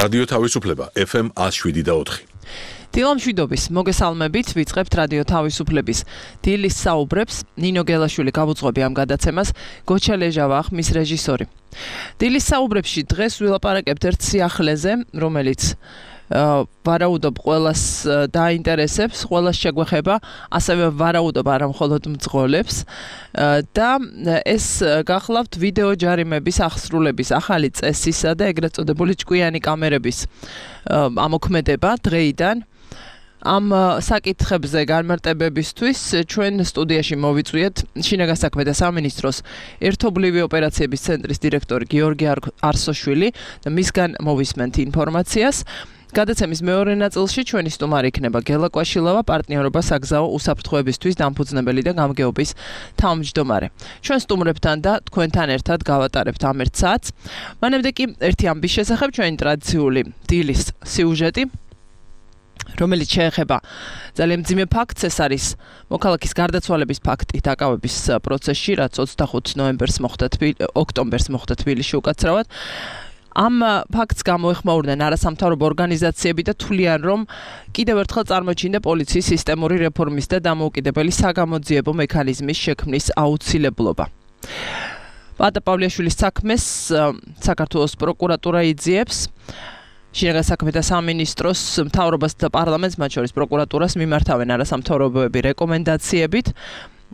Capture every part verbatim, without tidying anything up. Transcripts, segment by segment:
რადიო თავისუფლება F M one oh seven და four. დილამშვიდობის მოგესალმებით, ვიწყებთ რადიო თავისუფლების დილის საუბრებს. ნინო გელაშვილი გავუძღვები ამ გადაცემას, გოჩა ლეჟავა ხმის რეჟისორი. დილის საუბრებში დღეს ვილაპარაკებთ ერთ სიახლეზე, რომელიც ვარაუდობ ყველას დაინტერესებს, ყველას შეგვეხება, ასევე ვარაუდობ არა მხოლოდ მძღოლებს და ეს გახლავთ ვიდეო ჯარიმების აღსრულების ახალი წესისა და ეგრეთ წოდებული ჭკვიანი კამერების ამოქმედება დღეიდან. ამ საკითხებზე განმარტებებისთვის ჩვენ სტუდიაში მოვიწვიეთ შინაგან საქმეთა სამინისტროს ერთობლივი ოპერაციების ცენტრის დირექტორი გიორგი არსოშვილი და მისგან მოვისმენთ ინფორმაციას. გადაცემის მეორე ნაწილში ჩვენი სტუმარი იქნება გელა კვაშილავა, პარტნიორობა საგზაო უსაფრთხოებისთვის დამფუძნებელი და გამგეობის თავმჯდომარე. ჩვენ სტუმრებთან და თქვენთან ერთად გავატარებთ ამ ერთ საათს. მანამდე კი ერთი ამბის შესახებ ჩვენი ტრადიციული დილის სიუჟეტი, რომელიც შეეხება ძალიან მძიმე ფაქტს, ეს არის მოქალაქის გარდაცვალების ფაქტი დაკავების პროცესში, რაც ოცდახუთ ნოემბერს მოხდა ოქტომბერს მოხდა თბილისში უკაცრავად. ამ ფაქტს გამოეხმაურდნენ არასამთავრობო ორგანიზაციები და თვლიან, რომ კიდევ ერთხელ წარმოჩინდა პოლიციის სისტემური რეფორმის და დამოუკიდებელი საგამოძიებო მექანიზმის შექმნის აუცილებლობა. პატა პავლეაშვილის საქმეს საქართველოს პროკურატურა იძიებს. შინაგან საქმეთა სამინისტროს მთავრობას და პარლამენტს, მათ შორის პროკურატურას მიმართავენ არასამთავრობოები რეკომენდაციებით.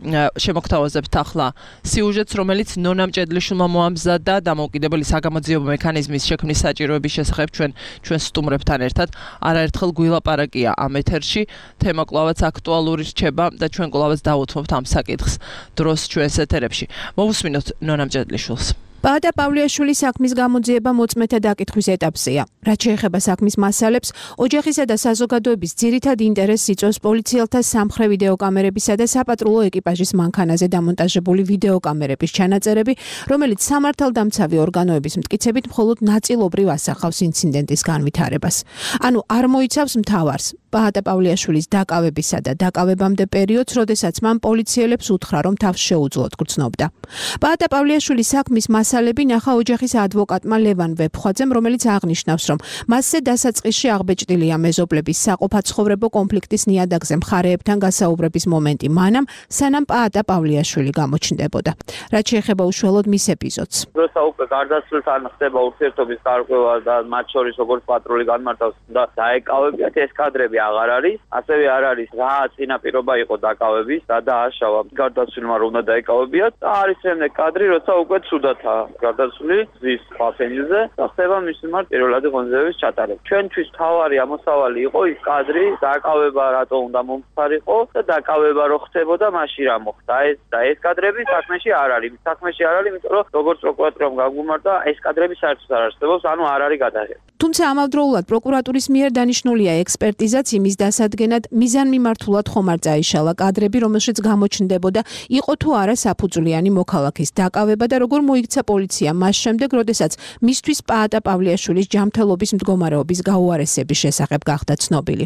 შემოგთავაზებთ ახლა სიუჟეტს, რომელიც ნონა მჭედლიშვილმა მოამზადა დამოუკიდებელი საგამოძიებო მექანიზმის შექმნის საჭიროების შესახებ ჩვენ ჩვენ სტუმრებთან ერთად არაერთხელ გვილაპარაკია ამ ეთერში. თემა კვლავაც აქტუალური რჩება და ჩვენ კვლავაც დავუთმობთ ამ საკითხს დროს ჩვენს ეთერებში. მოვუსმინოთ ნონა მჭედლიშვილს. პატა პავლეაშვილის საქმის გამოძიება მოწმეთა დაკითხვის ეტაპზეა. რაც შეეხება საქმის მასალებს, ოჯახისა და საზოგადოების ძირითად ინტერესს იწვევს პოლიციელთა სამხრე ვიდეოკამერებისა და საპატრულო ეკიპაჟის მანქანაზე დამონტაჟებული ვიდეოკამერების ჩანაწერები, რომელიც სამართალდამცავი ორგანოების მტკიცებით მხოლოდ ნაწილობრივ ასახავს ინციდენტის განვითარებას. ანუ არ მოიცავს მთავარს, პატა პავლეაშვილის დაკავებისა და დაკავებამდე პერიოდს, როდესაც მან პოლიციელებს უთხრა, რომ თავს შეუძლოდ გრძნობდა. პატა პავლეაშვილის საქმის მასალები ნახა ოჯახის ადვოკატმა ლევან ვეფხვაძემ, რომელიც აღნიშნავს, რომ მასზე დასაწყისში აღბეჭდილია მეზობლების საყოფაცხოვრებო კონფლიქტის ნიადაგზე მხარეებთან გასაუბრების მომენტი მანამ, სანამ პატა პავლეაშვილი გამოჩნდებოდა. რაც შეეხება უშუალოდ მის ეპიზოდს. როცა უკვე გარდაცვლილთან ხდება ურთიერთობის გარკვევა და მათ შორის როგორც პატრული განმარტავს და დაეკავებიათ, ეს კადრები აღარ არის, ასევე არ არის რა წინაპირობა იყო დაკავების და დააშავა გარდაცვლილმა რომ უნდა დაეკავებიათ და არის შემდეგ კადრი, როცა უკვე ცუდათა გარდაცვლილი ზის ფაფენილზე და ხდება მის მიმართ პირველადი ღონისძიების ჩატარება. ჩვენთვის თავარი ამოსავალი იყო ის კადრი, დაკავება რატო უნდა მომხდარიყო და დაკავება რო ხდებოდა, მაშინ რა მოხდა. ეს და ეს კადრები საქმეში არ არის. საქმეში არ არის, იმიტომ რომ როგორც პროკურატურამ გაგვიმართა, ეს კადრები საერთოდ არ არსებობს, ანუ არ არის გადაღება. თუმცა ამავდროულად პროკურატურის მიერ დანიშნულია ექსპერტიზაც იმის დასადგენად, მიზანმიმართულად ხომ არ წაიშალა კადრები, რომელშიც გამოჩნდებოდა, იყო თუ არა საფუძვლიანი მოქალაქის დაკავება და როგორ მოიქცა პოლიცია მას შემდეგ, როდესაც მისთვის პატა პავლეაშვილის ჯანმრთელობის მდგომარეობის გაუარესების შესახებ გახდა ცნობილი.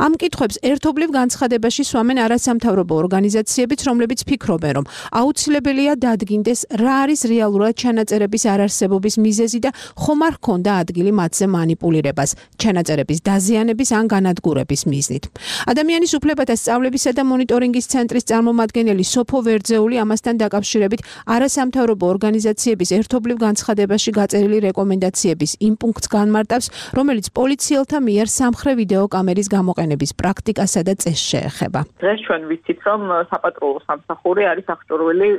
ამ კითხვებს ერთობლივ განცხადებაში სვამენ არასამთავრობო ორგანიზაციებიც, რომლებიც ფიქრობენ, რომ აუცილებელია დადგინდეს რა არის რეალურად ჩანაწერების არარსებობის მიზეზი და ხომ არ ჰქონდა ადგილი მათზე მანიპულირებას, ჩანაწერების დაზიანების ან განადგურების მიზნით. ადამიანის უფლებათა სწავლებისა და მონიტორინგის ცენტრის წარმომადგენელი სოფო ვერძეული ამასთან დაკავშირებით არასამთავრობო ორგანიზაციების ერთობლივ განცხადებაში გაწერილი რეკომენდაციების იმ პუნქტს განმარტავს, რომელიც პოლიციელთა მიერ სამხრე ვიდეოკამერის გამოყენების პრაქტიკასა და წესს შეეხება. დღეს ჩვენ ვიცით, რომ საპატრულო სამსახური არის აღჭურვილი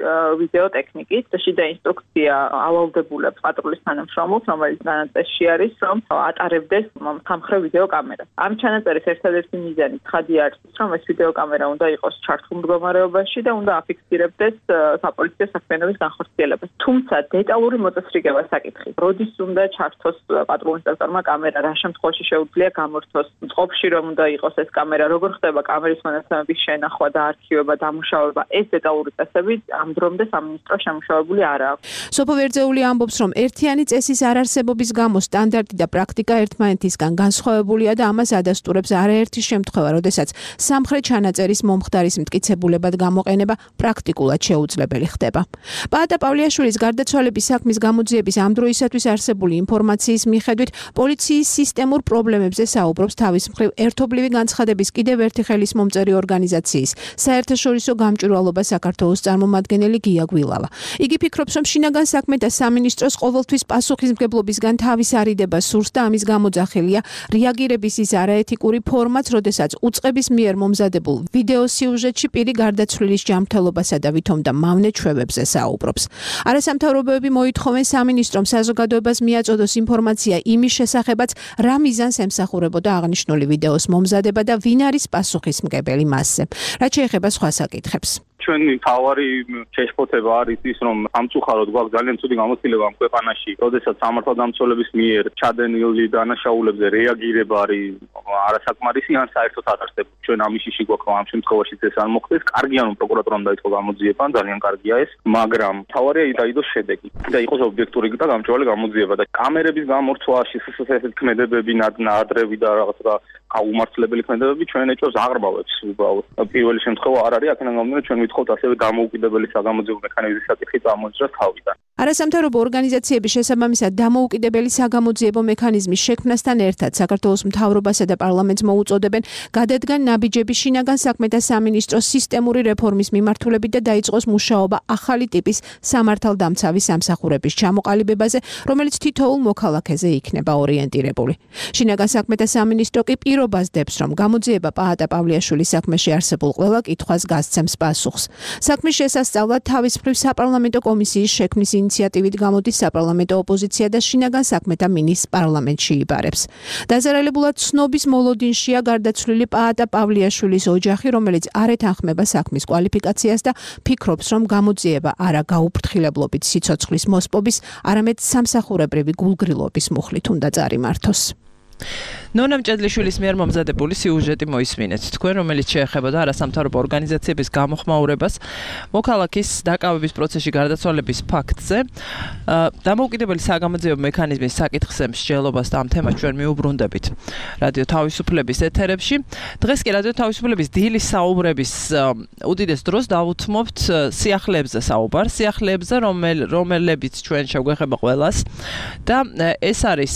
ვიდეოტექნიკით და შიდა ინსტრუქცია ავალდებულებს პატრულის თანამშრომლებს, რომელიც განაწესში არის, რომ ატარებდეს სამხრე ვიდეოკამერას. ამ ჩანაწერის ერთადერთი მიზანი ცხადი არის, რომ ეს ვიდეოკამერა უნდა იყოს ჩართულ მდგომარეობაში და უნდა აფიქსირებდეს საპოლიციო საქმიანობის განხორციელებას. თუმცა დეტალური მოწესრიგება საკითხი. როდის უნდა ჩართოს პატრულ ინსპექტორმა კამერა, რა შემთხვევაში შეუძლია გამორთოს, წყობაში რომ უნდა იყოს ეს კამერა, როგორ ხდება კამერის მონაცემების შენახვა და არქივება, დამუშავება, ეს დეტალური წესები ამ დრომდე სამინისტრო შემუშავებული არ აქვს. სოფო ვერძეული ამბობს, რომ ერთიანი წესის არარსებობის გამო სტანდარტი და პრაქტიკა ერთმანეთისგან განსხვავებულია და ამას ადასტურებს არაერთი შემთხვევა, როდესაც სამხრეთ ჩანაწერის მომხდარის მტკიცებულებად გამოყენება პრაქტიკულად შეუძლებელი ხდება. პაატა პავლიაშვილის გარდაცვალების საქმის გამოძიების ამ დროისათვის არსებული ინფორმაციის მიხედვით პოლიციის სისტემურ პრობლემებზე საუბრობს თავის მხრივ ერთობლივი განცხადების კიდევ ერთი ხელისმომწერი ორგანიზაციის საერთაშორისო გამჭვირვალობა საქართველოს წარმომადგენელი გია გვილავა. იგი ფიქრობს, რომ შინაგან საქმეთა სამინისტროს ყოველთვის პასუხისმგებლობისგან თავის არიდება სურს და ამის გამოძახილია რეაგირების ის არაეთიკური ფორმაც, როდესაც უწყების მიერ მომზადებულ ვიდეო სიუჟეტში პირი გარდაცვლილის ჯანმრთელობასა და ვითომდა მავნე ჩვევებზე საუბრობს. არასამთავრობოები მოითხოვენ სამინისტრომ საზოგადოებას მიაწოდოს ინფორმაცია იმის შესახებაც, რა მიზანს ემსახურებოდა აღნიშნული ვიდეოს მომზადება და ვინ არის პასუხისმგებელი მასზე. რაც შეეხება სხვა საკითხებს. ჩვენი თავარი შეშფოთება არის ის, რომ სამწუხაროდ გვაქვს ძალიან ცუდი გამოცდილება ამ ქვეყანაში, როდესაც სამართალდამცველების მიერ ჩადენილი დანაშაულებზე რეაგირება არის არასაკმარისი ან საერთოდ არ არსებობს. ჩვენ ამიშიში გვაქვს, რომ ამ შემთხვევაში ეს არ მოხდეს. კარგია, რომ პროკურატურამ დაიწყო გამოძიება, ძალიან კარგია ეს, მაგრამ თავარია დაიდოს შედეგი და იყოს ობიექტური და გამჭვირვალე გამოძიება და კამერების გამორთვა, შესაძლებელი ქმედებები, ნადრევი და რაღაცა გაუმართლებელი ქმედებები ჩვენ ეჭვს აღრმავებს უბრალოდ. პირველი შემთხვევა არ არის, აქედან გამომდინარე ჩვენ ვითხოვთ ასევე დამოუკიდებელი საგამოძიებო მექანიზმის საკითხი წამოიძრას თავიდან. არასამთავრობო ორგანიზაციების შესაბამისად დამოუკიდებელი საგამოძიებო მექანიზმის შექმნასთან ერთად საქართველოს მთავრობასა და პარლამენტს მოუწოდებენ გადადგან ნაბიჯები შინაგან საქმეთა სამინისტროს სისტემური რეფორმის მიმართულებით და დაიწყოს მუშაობა ახალი ტიპის სამართალდამცავი სამსახურების ჩამოყალიბებაზე, რომელიც თითოეულ მოქალაქეზე იქნება ორიენტირებული. შინაგან საქმეთა სამინისტრო კი პირობას დებს, რომ გამოძიება პაატა პავლიაშვილის საქმეში არსებულ ყველა კითხვას გასცემს პასუხს. საქმის შესასწავლად თავის მხრივ საპარლამენტო კომისიის შექმნის ინიციატივით გამოდის საპარლამენტო ოპოზიცია და შინაგან საქმეთა მინისტრს პარლამენტში იბარებს. დაზარალებულად ცნობის მოლოდინშია გარდაცვლილი პაატა პავლიაშვილის ოჯახი, რომელიც არ ეთანხმება საქმის კვალიფიკაციას და ფიქრობს, რომ გამოძიება არა გაუფრთხილებლობით სიცოცხლის მოსპობის, არამედ სამსახურებრივი გულგრილობის მუხლით უნდა წარიმართოს. ნონა მჭედლიშვილის მიერ მომზადებული სიუჟეტი მოისმინეთ. თქვენ, რომელიც შეეხებოდა არასამთავრობო ორგანიზაციების გამოხმაურებას მოქალაქის დაკავების პროცესში გარდაცვალების ფაქტზე, დამოუკიდებელი საგამოძიებო მექანიზმის საკითხზე მსჯელობას და ამ თემას ჩვენ მიუბრუნდებით რადიო თავისუფლების ეთერებში. დღეს კი რადიო თავისუფლების დილის საუბრების უდიდეს დროს დავუთმობთ სიახლეებზე საუბარს, სიახლეებზე, რომელებიც ჩვენ შეგვეხება ყველას და ეს არის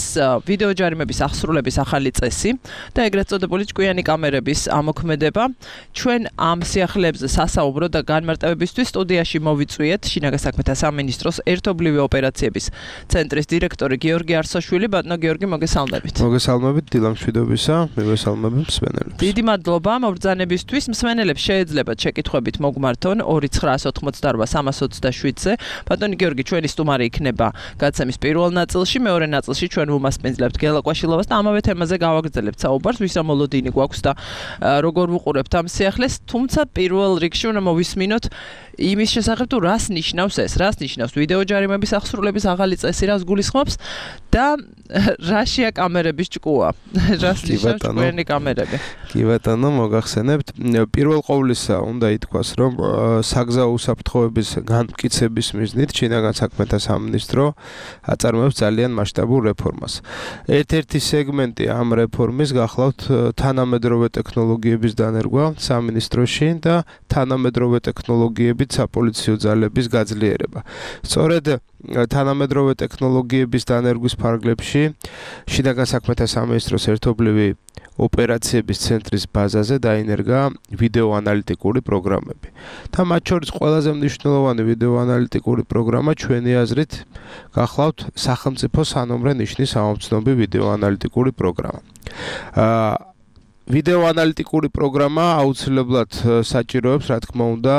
ვიდეო ჯარიმების აღსრულების ახალი წესი და ეგრეთ წოდებული ჭკვიანი კამერების ამოქმედება. ჩვენ ამ სიახლეებზე სასაუბრო და განმარტებებისთვის სტუდიაში მოვიწვიეთ შინაგან საქმეთა სამინისტროს ერთობლივი ოპერაციების ცენტრის დირექტორი გიორგი არსაშვილი. ბატონო გიორგი, მოგესალმებით. მოგესალმებით დილამშვიდობისა, მოგესალმებით მსმენელებს. დიდი მადლობა მობრძანებისთვის. მსმენელებს შეეძლებათ შეკითხვებით მოგმართონ ორი ცხრა ოცდაოთხმოცდარბა სამას ოცდაშვიდზე. ბატონი გიორგი, ჩვენი სტუმარი იქნება გადაცემის პირველ ნაწილში, მეორე ნაწილში ჩვენ ვუმასპინძლებთ გელა კვაშილოვას და ამავე თემაზე გავაგრძელებთ საუბარს, ვის რა მოლოდინი გვაქვს და როგორ ვუყურებთ ამ სიახლეს, თუმცა პირველ რიგში უნდა მოვისმინოთ იმის შესახებ თუ რას ნიშნავს ეს, რას ნიშნავს ვიდეო ჯარიმების აღსრულების ახალი წესი, რას გულისხმობს და რაშია კამერების ჭკუა, რას ნიშნავს ჭკვიანი კამერები. კი ბატონო, მოგახსენებთ. პირველ ყოვლისა უნდა ითქვას, რომ საგზაო უსაფრთხოების განმტკიცების მიზნით შინაგან საქმეთა სამინისტრო აწარმოებს ძალიან მასშტაბურ რეფორმას. ერთ-ერთი სეგმენტი ამ რეფორმის გახლავთ თანამედროვე ტექნოლოგიების დანერგვა სამინისტროში და თანამედროვე ტექნოლოგიებით საპოლიციო ძალების გაძლიერება. სწორედ თანამედროვე ტექნოლოგიების დანერგვის ფარგლებში შინაგან საქმეთა სამინისტროს ერთობლივი ოპერაციების ცენტრის ბაზაზე დაინერგა ვიდეო ანალიტიკური პროგრამები. და მათ შორის ყველაზე მნიშვნელოვანი ვიდეო ანალიტიკური პროგრამა ჩვენი აზრით გახლავთ სახელმწიფო სანომრე ნიშნის ამომცნობი ვიდეო ანალიტიკური პროგრამა. აა ვიდეო ანალიტიკური პროგრამა აუცილებლად საჭიროებს, რა თქმა უნდა,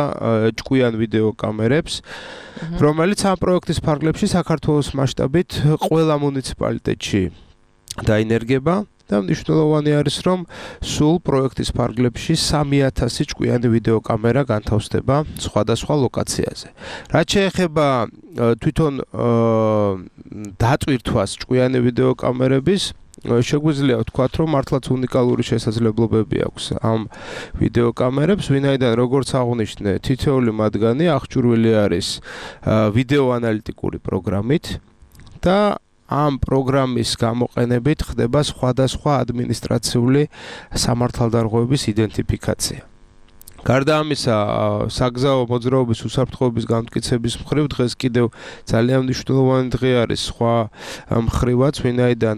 ჭკვიან ვიდეო კამერებს, რომელიც ამ პროექტის ფარგლებში საქართველოს მასშტაბით ყველა მუნიციპალიტეტში დაინერგება. და მნიშვნელოვანი არის, რომ სულ პროექტის ფარგლებში სამი ათასი ჭკვიანი ვიდეო კამერა განთავსდება სხვადასხვა ლოკაციაზე. რაც შეეხება თვითონ დატვირთვას ჭკვიანი ვიდეო კამერების, შეგვიძლია ვთქვათ, რომ მართლაც უნიკალური შესაძლებლობები აქვს ამ ვიდეო კამერებს, ვინაიდან როგორც აღნიშნე, თითოეული მათგანი აღჭურვილი არის ვიდეო ანალიტიკური პროგრამით და ამ პროგრამის გამოყენებით ხდება სხვადასხვა ადმინისტრაციული სამართალდარღვევების იდენტიფიკაცია. გარდა ამისა, საგზაო მოძრაობის უსაფრთხოების განმტკიცების მხრივ დღეს კიდევ ძალიან მნიშვნელოვანი დღე არის სხვა მხრივაც, ვინაიდან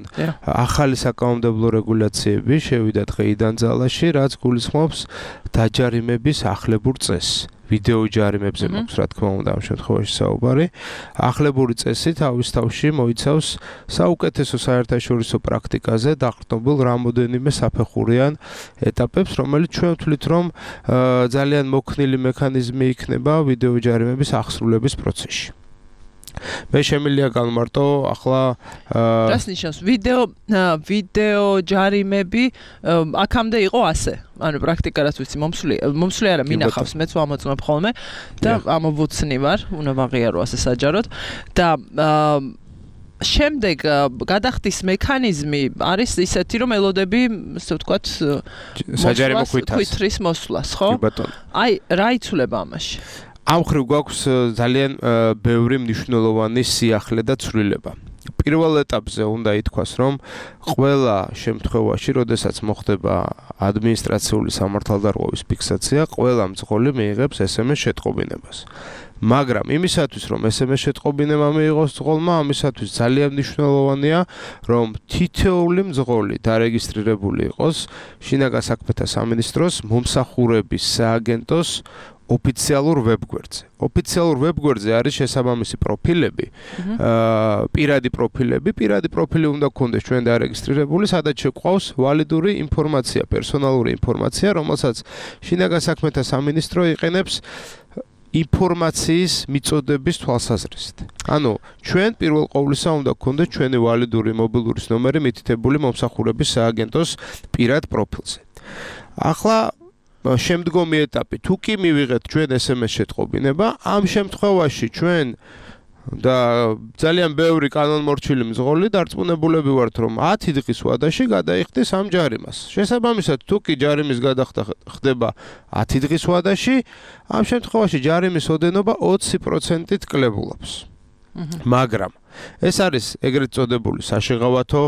ახალი საკანონმდებლო რეგულაციები შევიდა დღეიდან ძალაში, რაც გულისხმობს დაჯარიმების ახლებურ წესს. ვიდეო ჯარიმებზე მაქვს რა თქმა უნდა ამ შემთხვევაში საუბარი. ახლებური წესი თავის თავში მოიცავს საუკეთესო საერთაშორისო პრაქტიკაზე დაყრდნობილ რამოდენიმე საფეხურიან ეტაპებს, რომელიც ჩვენ ვთვლით, რომ ძალიან მოქნილი მექანიზმი იქნება ვიდეო ჯარიმების აღსრულების პროცესში. მე შემიძლია გავმარტო ახლა რას ნიშნავს ვიდეო ვიდეო ჯარიმები აქამდე იყო ასე ანუ პრაქტიკა რაც ვიცი მომსვლი მომსვლი არა მინახავს მეც ვამოწმებ ხოლმე და ამოვუცნი ვარ უნდა ვაღიარო ასე საჯაროდ და შემდეგ გადახდის მექანიზმი არის ისეთი რომ ელოდები ასე ვთქვათ საჯარიმო ქვითრის მოსვლას ხო აი რა იცვლება ამაში ამ ხრივ გვაქვს ძალიან ბევრი მნიშვნელოვანი სიახლე და ცვლილება. პირველ ეტაპზე უნდა ითქვას, რომ ყველა შემთხვევაში, როდესაც მოხდება ადმინისტრაციული სამართალდარღვევის ფიქსაცია, ყველა მძღოლი მიიღებს ეს ემ ეს შეტყობინებას. მაგრამ იმისათვის, რომ ეს ემ ეს შეტყობინება მიიღოს მძღოლმა, ამისათვის ძალიან მნიშვნელოვანია, რომ თითოეული მძღოლი დარეგისტრირებული იყოს შინაგან საქმეთა სამინისტროს მომსახურების სააგენტოს ოფიციალურ ვებგვერდზე. ოფიციალურ ვებგვერდზე არის შესაბამისი პროფილები, აა პირადი პროფილები, პირადი პროფილი უნდა გქონდეს ჩვენ დარეგისტრირებული, სადაც შეგვყავს ვალიდური ინფორმაცია, პერსონალური ინფორმაცია, რომელსაც შინაგან საქმეთა სამინისტრო იყენებს ინფორმაციის მიწოდების თვალსაზრისით. ანუ ჩვენ პირველ ყოვლისა უნდა გქონდეს ჩვენი ვალიდური მობილურის ნომერი მითითებული მომსახურების სააგენტოს პირად პროფილზე. ახლა შემდგომი ეტაპი თუ კი მივიღეთ ჩვენ ეს ემ ეს შეტყობინება, ამ შემთხვევაში ჩვენ და ძალიან ბევრი კანონმორჩილი მძღოლი დარწმუნებულები ვართ, რომ ათი დღის ვადაში გადაიხდის ამ ჯარიმას. შესაბამისად, თუ კი ჯარიმის გადახდა ხდება ათი დღის ვადაში, ამ შემთხვევაში ჯარიმის ოდენობა ოცი პროცენტით კლებულობს. მაგრამ ეს არის ეგრეთ წოდებული საშეღავათო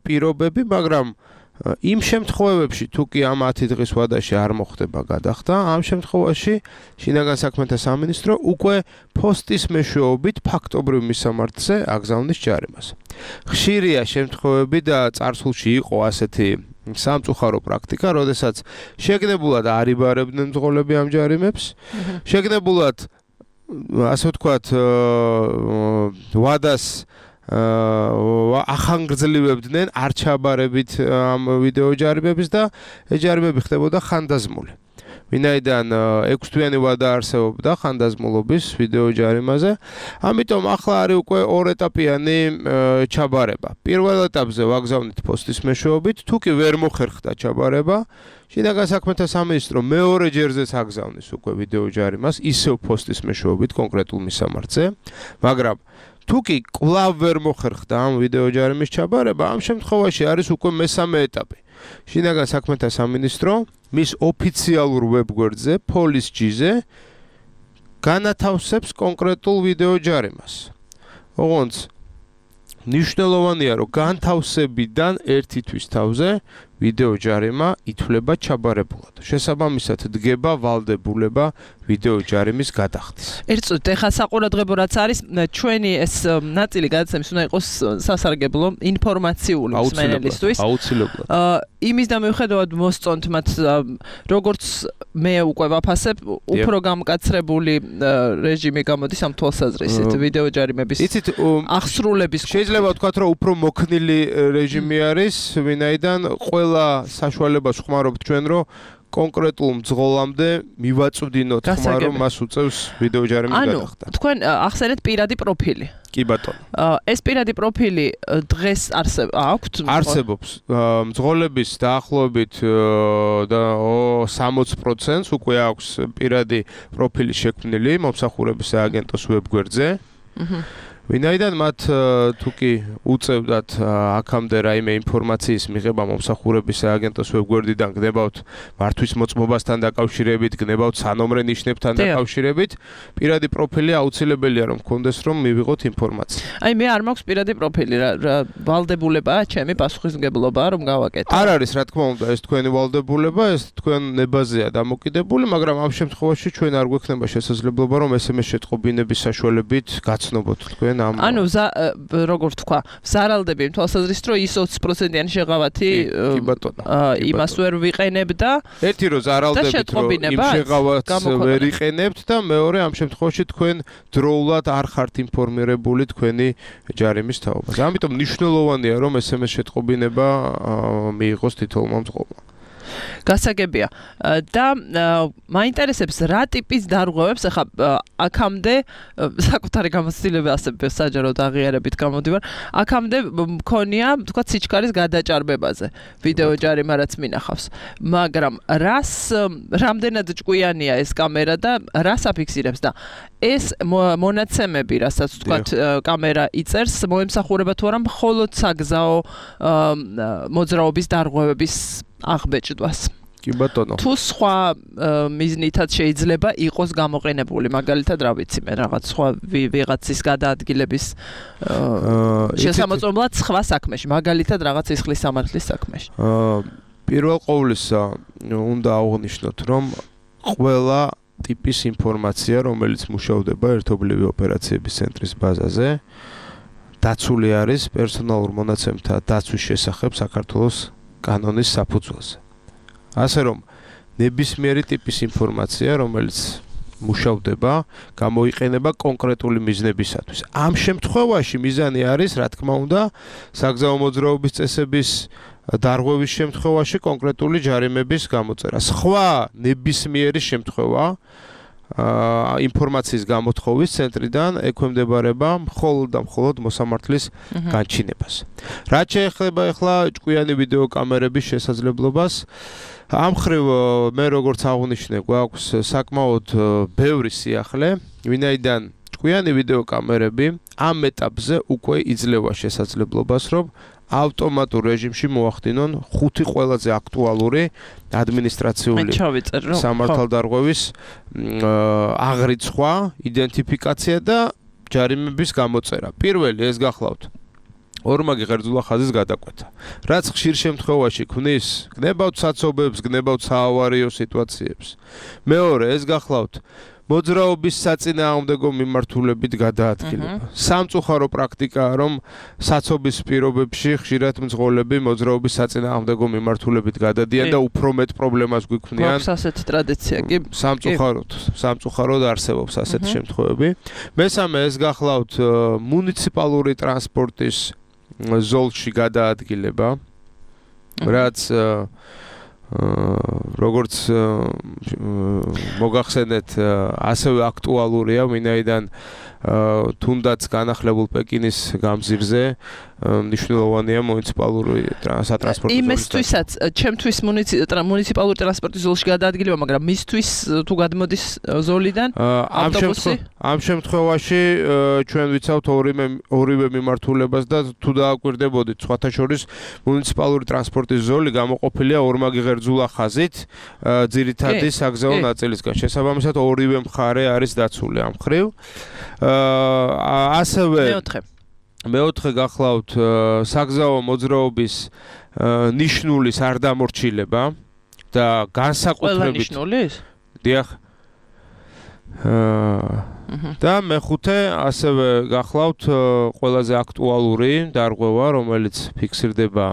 პირობები, მაგრამ იმ შემთხვევებში თუ კი ამ ათი დღის ვადაში არ მოხდება გადახდა, ამ შემთხვევაში შინაგან საქმეთა სამინისტრო უკვე ფოსტის მეშვეობით ფაქტობრივ მისამართზე აგზავნის ჯარიმას. ხშირია შემთხვევები და წარსულში იყო ასეთი სამწუხარო პრაქტიკა, როდესაც შეგნებულად არ იბარებდნენ მძღოლები ამ ჯარიმებს, შეგნებულად ასე ვთქვათ ვადას ახანგრძლივებდნენ არ ჩაბარებით ამ ვიდეო ჯარიმების და ეს ჯარიმები ხდებოდა ხანდაზმული. ვინაიდან ექვსთვიანი ვადა არსებობდა ხანდაზმულობის ვიდეო ჯარიმაზე, ამიტომ ახლა არის უკვე ორეტაპიანი ჩაბარება. პირველ ეტაპზე ვაგზავნით ფოსტის მეშვეობით, თუ კი ვერ მოხერხდა ჩაბარება, შინაგან საქმეთა სამინისტრო მეორე ჯერზეც აგზავნის უკვე ვიდეო ჯარიმას, ისევ ფოსტის მეშვეობით კონკრეტულ მისამართზე, მაგრამ თუ კი კვლავ ვერ მოხერხდა ამ ვიდეო ჯარიმის ჩაბარება, ამ შემთხვევაში არის უკვე მესამე ეტაპი. შინაგან საქმეთა სამინისტრო მის ოფიციალურ ვებგვერდზე, police.gz-ზე განათავსებს კონკრეტულ ვიდეო ჯარიმას. ოღონდ ნიშნულოვანია, რომ განთავსებიდან ერთი თვის თავზე ვიდეო ჯარიმა ითვლება ჩაბარებულად. შესაბამისად დგება ვალდებულება ვიდეო ჯარიმის გადახდის. ერთ წუთით ეხა საყურადღებო რაც არის, ჩვენი ეს ნაწილი გადაცემის უნდა იყოს სასარგებლო ინფორმაციული მსმენელისთვის. აუცილებლად. იმის და მიუხედავად მოსწონთ მათ როგორც მე უკვე ვაფასებ, უფრო გამკაცრებული რეჟიმი გამოდის ამ თვალსაზრისით ვიდეო ჯარიმების აღსრულების. შეიძლება ვთქვათ, რომ უფრო მოქნილი რეჟიმი არის, ვინაიდან ყველა საშუალებას ხმარობთ ჩვენ, რომ კონკრეტულ მძღოლამდე მივაწვდინოთ ხმა, რომ მას უწევს ვიდეო ჯარიმის გადახდა. ანუ თქვენ ახსენეთ პირადი პროფილი. კი ბატონო. ეს პირადი პროფილი დღეს აქვთ? არსებობს. მძღოლების დაახლოებით და სამოცი პროცენტს უკვე აქვს პირადი პროფილი შექმნილი მომსახურების სააგენტოს ვებგვერდზე. ვინაიდან მათ თუ კი უწევდათ აქამდე რაიმე ინფორმაციის მიღება მომსახურების სააგენტოს ვებგვერდიდან გნებავთ მართვის მოწმობასთან დაკავშირებით, გნებავთ სანომრე ნიშნებთან დაკავშირებით, პირადი პროფილი აუცილებელია რომ გქონდეს რომ მივიღოთ ინფორმაცია. აი მე არ მაქვს პირადი პროფილი, რა ვალდებულებაა ჩემი პასუხისმგებლობაა რომ გავაკეთო. არ არის რა თქმა უნდა ეს თქვენი ვალდებულება, ეს თქვენ ნებაზეა დამოკიდებული, მაგრამ ამ შემთხვევაში ჩვენ არ გვექნება შესაძლებლობა რომ ეს ემ ეს შეტყობინების საშუალებით გაცნობოთ თქვენ ამ ანუ როგორ თქვა, ვზარალდები იმ თვალსაზრისით რომ ის ოცი პროცენტიანი შეღავათი იმას ვერ ვიყენებდა. ერთი რომ ზარალდებით რომ იმ შეღავათს ვერ იყენებთ და მეორე ამ შემთხვევაში თქვენ დროულად არ ხართ ინფორმირებული თქვენი ჯარიმის თაობას. ამიტომ მნიშვნელოვანია რომ ეს ემ ეს შეტყობინება მიიღოს თითოეულმა მწყობრმა. გასაგებია და მაინტერესებს რა ტიპის დარღვევებს ახლა აქამდე საკუთარი გამოცდილება ასე საჯაროდ აღიარებით გამოდივარ აქამდე მქონია თქვა სიჩქარის გადაჭარბებაზე ვიდეო ჯარიმა რაც მინახავს მაგრამ რას რამდენად ჭკვიანია ეს კამერა და რას აფიქსირებს და ეს მონაცემები რასაც თქვა კამერა იწერს მოემსახურება თუ არა მხოლოდ საგზაო მოძრაობის დარღვევების აღბეჭდვას. კი ბატონო. თუ სხვა მიზნითაც შეიძლება იყოს გამოყენებული, მაგალითად რა ვიცი მე რაღაც სხვა ვიღაცის გადაადგილების შესამოწმებლად სხვა საქმეში, მაგალითად რაღაც ისხლის სამართლის საქმეში. პირველ ყოვლისა უნდა აღვნიშნოთ, რომ ყველა ტიპის ინფორმაცია, რომელიც მუშავდება ერთობლივი ოპერაციების ცენტრის ბაზაზე, დაცული არის პერსონალურ მონაცემთა დაცვის შესახებ საქართველოს კანონის საფუძველზე. ასე რომ ნებისმიერი ტიპის ინფორმაცია, რომელიც მუშავდება, გამოიყენება კონკრეტული მიზნებისათვის. ამ შემთხვევაში მიზანი არის, რა თქმა უნდა, საგზაო მოძრაობის წესების დარღვევის შემთხვევაში კონკრეტული ჯარიმების გამოწერა. სხვა ნებისმიერი შემთხვევა ინფორმაციის გამოთხოვის ცენტრიდან ექვემდებარება მხოლოდ და მხოლოდ მოსამართლის განჩინებას. რაც შეეხება ახლა ჭკვიანი ვიდეო კამერების შესაძლებლობას, ამ ხრივ მე როგორც აღვნიშნე, გვაქვს საკმაოდ ბევრი სიახლე, ვინაიდან ჭკვიანი ვიდეო კამერები ამ ეტაპზე უკვე იძლევა შესაძლებლობას, რომ ავტომატურ რეჟიმში მოახდინონ ხუთი ყველაზე აქტუალური ადმინისტრაციული სამართალდარღვევის აღრიცხვა, იდენტიფიკაცია და ჯარიმების გამოწერა. პირველი ეს გახლავთ ორმაგი ღერძულა ხაზის გადაკვეთა. რაც ხშირ შემთხვევაში ქმნის გნებავთ საცობებს, გნებავთ საავარიო სიტუაციებს. მეორე ეს გახლავთ მოძრაობის საწინააღმდეგო მიმართულებით გადაადგილება. სამწუხარო პრაქტიკაა, რომ საცობის პირობებში ხშირად მძღოლები მოძრაობის საწინააღმდეგო მიმართულებით გადადიან და უფრო მეტ პრობლემას გვიქმნიან. გვაქვს ასეთი ტრადიცია კი? სამწუხაროდ, სამწუხაროდ არსებობს ასეთი შემთხვევები. მესამე ეს გახლავთ მუნიციპალური ტრანსპორტის ზოლში გადაადგილება, რაც როგორც მოგახსენეთ, ასევე აქტუალურია, ვინაიდან თუნდაც განახლებულ პეკინის გამზირზე მნიშვნელოვანია მუნიციპალური სატრანსპორტო ზოლი. იმისთვისაც, ჩემთვის მუნიციპალური ტრანსპორტის ზოლში გადაადგილება, მაგრამ მისთვის თუ გადმოდის ზოლიდან ავტობუსი? ამ შემთხვევაში ჩვენ ვიცავთ ორივე ორივე მიმართულებას და თუ დააკვირდებოდით, სხვათა შორის მუნიციპალური ტრანსპორტის ზოლი გამოყოფილია ორმაგი ღერძულა ხაზით, ძირითადი საგზაო ნაწილისგან. შესაბამისად, ორივე მხარე არის დაცული ამ ხრივ. ასევე მეოთხე მეოთხე გახლავთ საგზაო მოძრაობის ნიშნულის არ დამორჩილება და განსაკუთრებით ყველა ნიშნულის? დიახ. და მეხუთე ასევე გახლავთ ყველაზე აქტუალური დარღვევა, რომელიც ფიქსირდება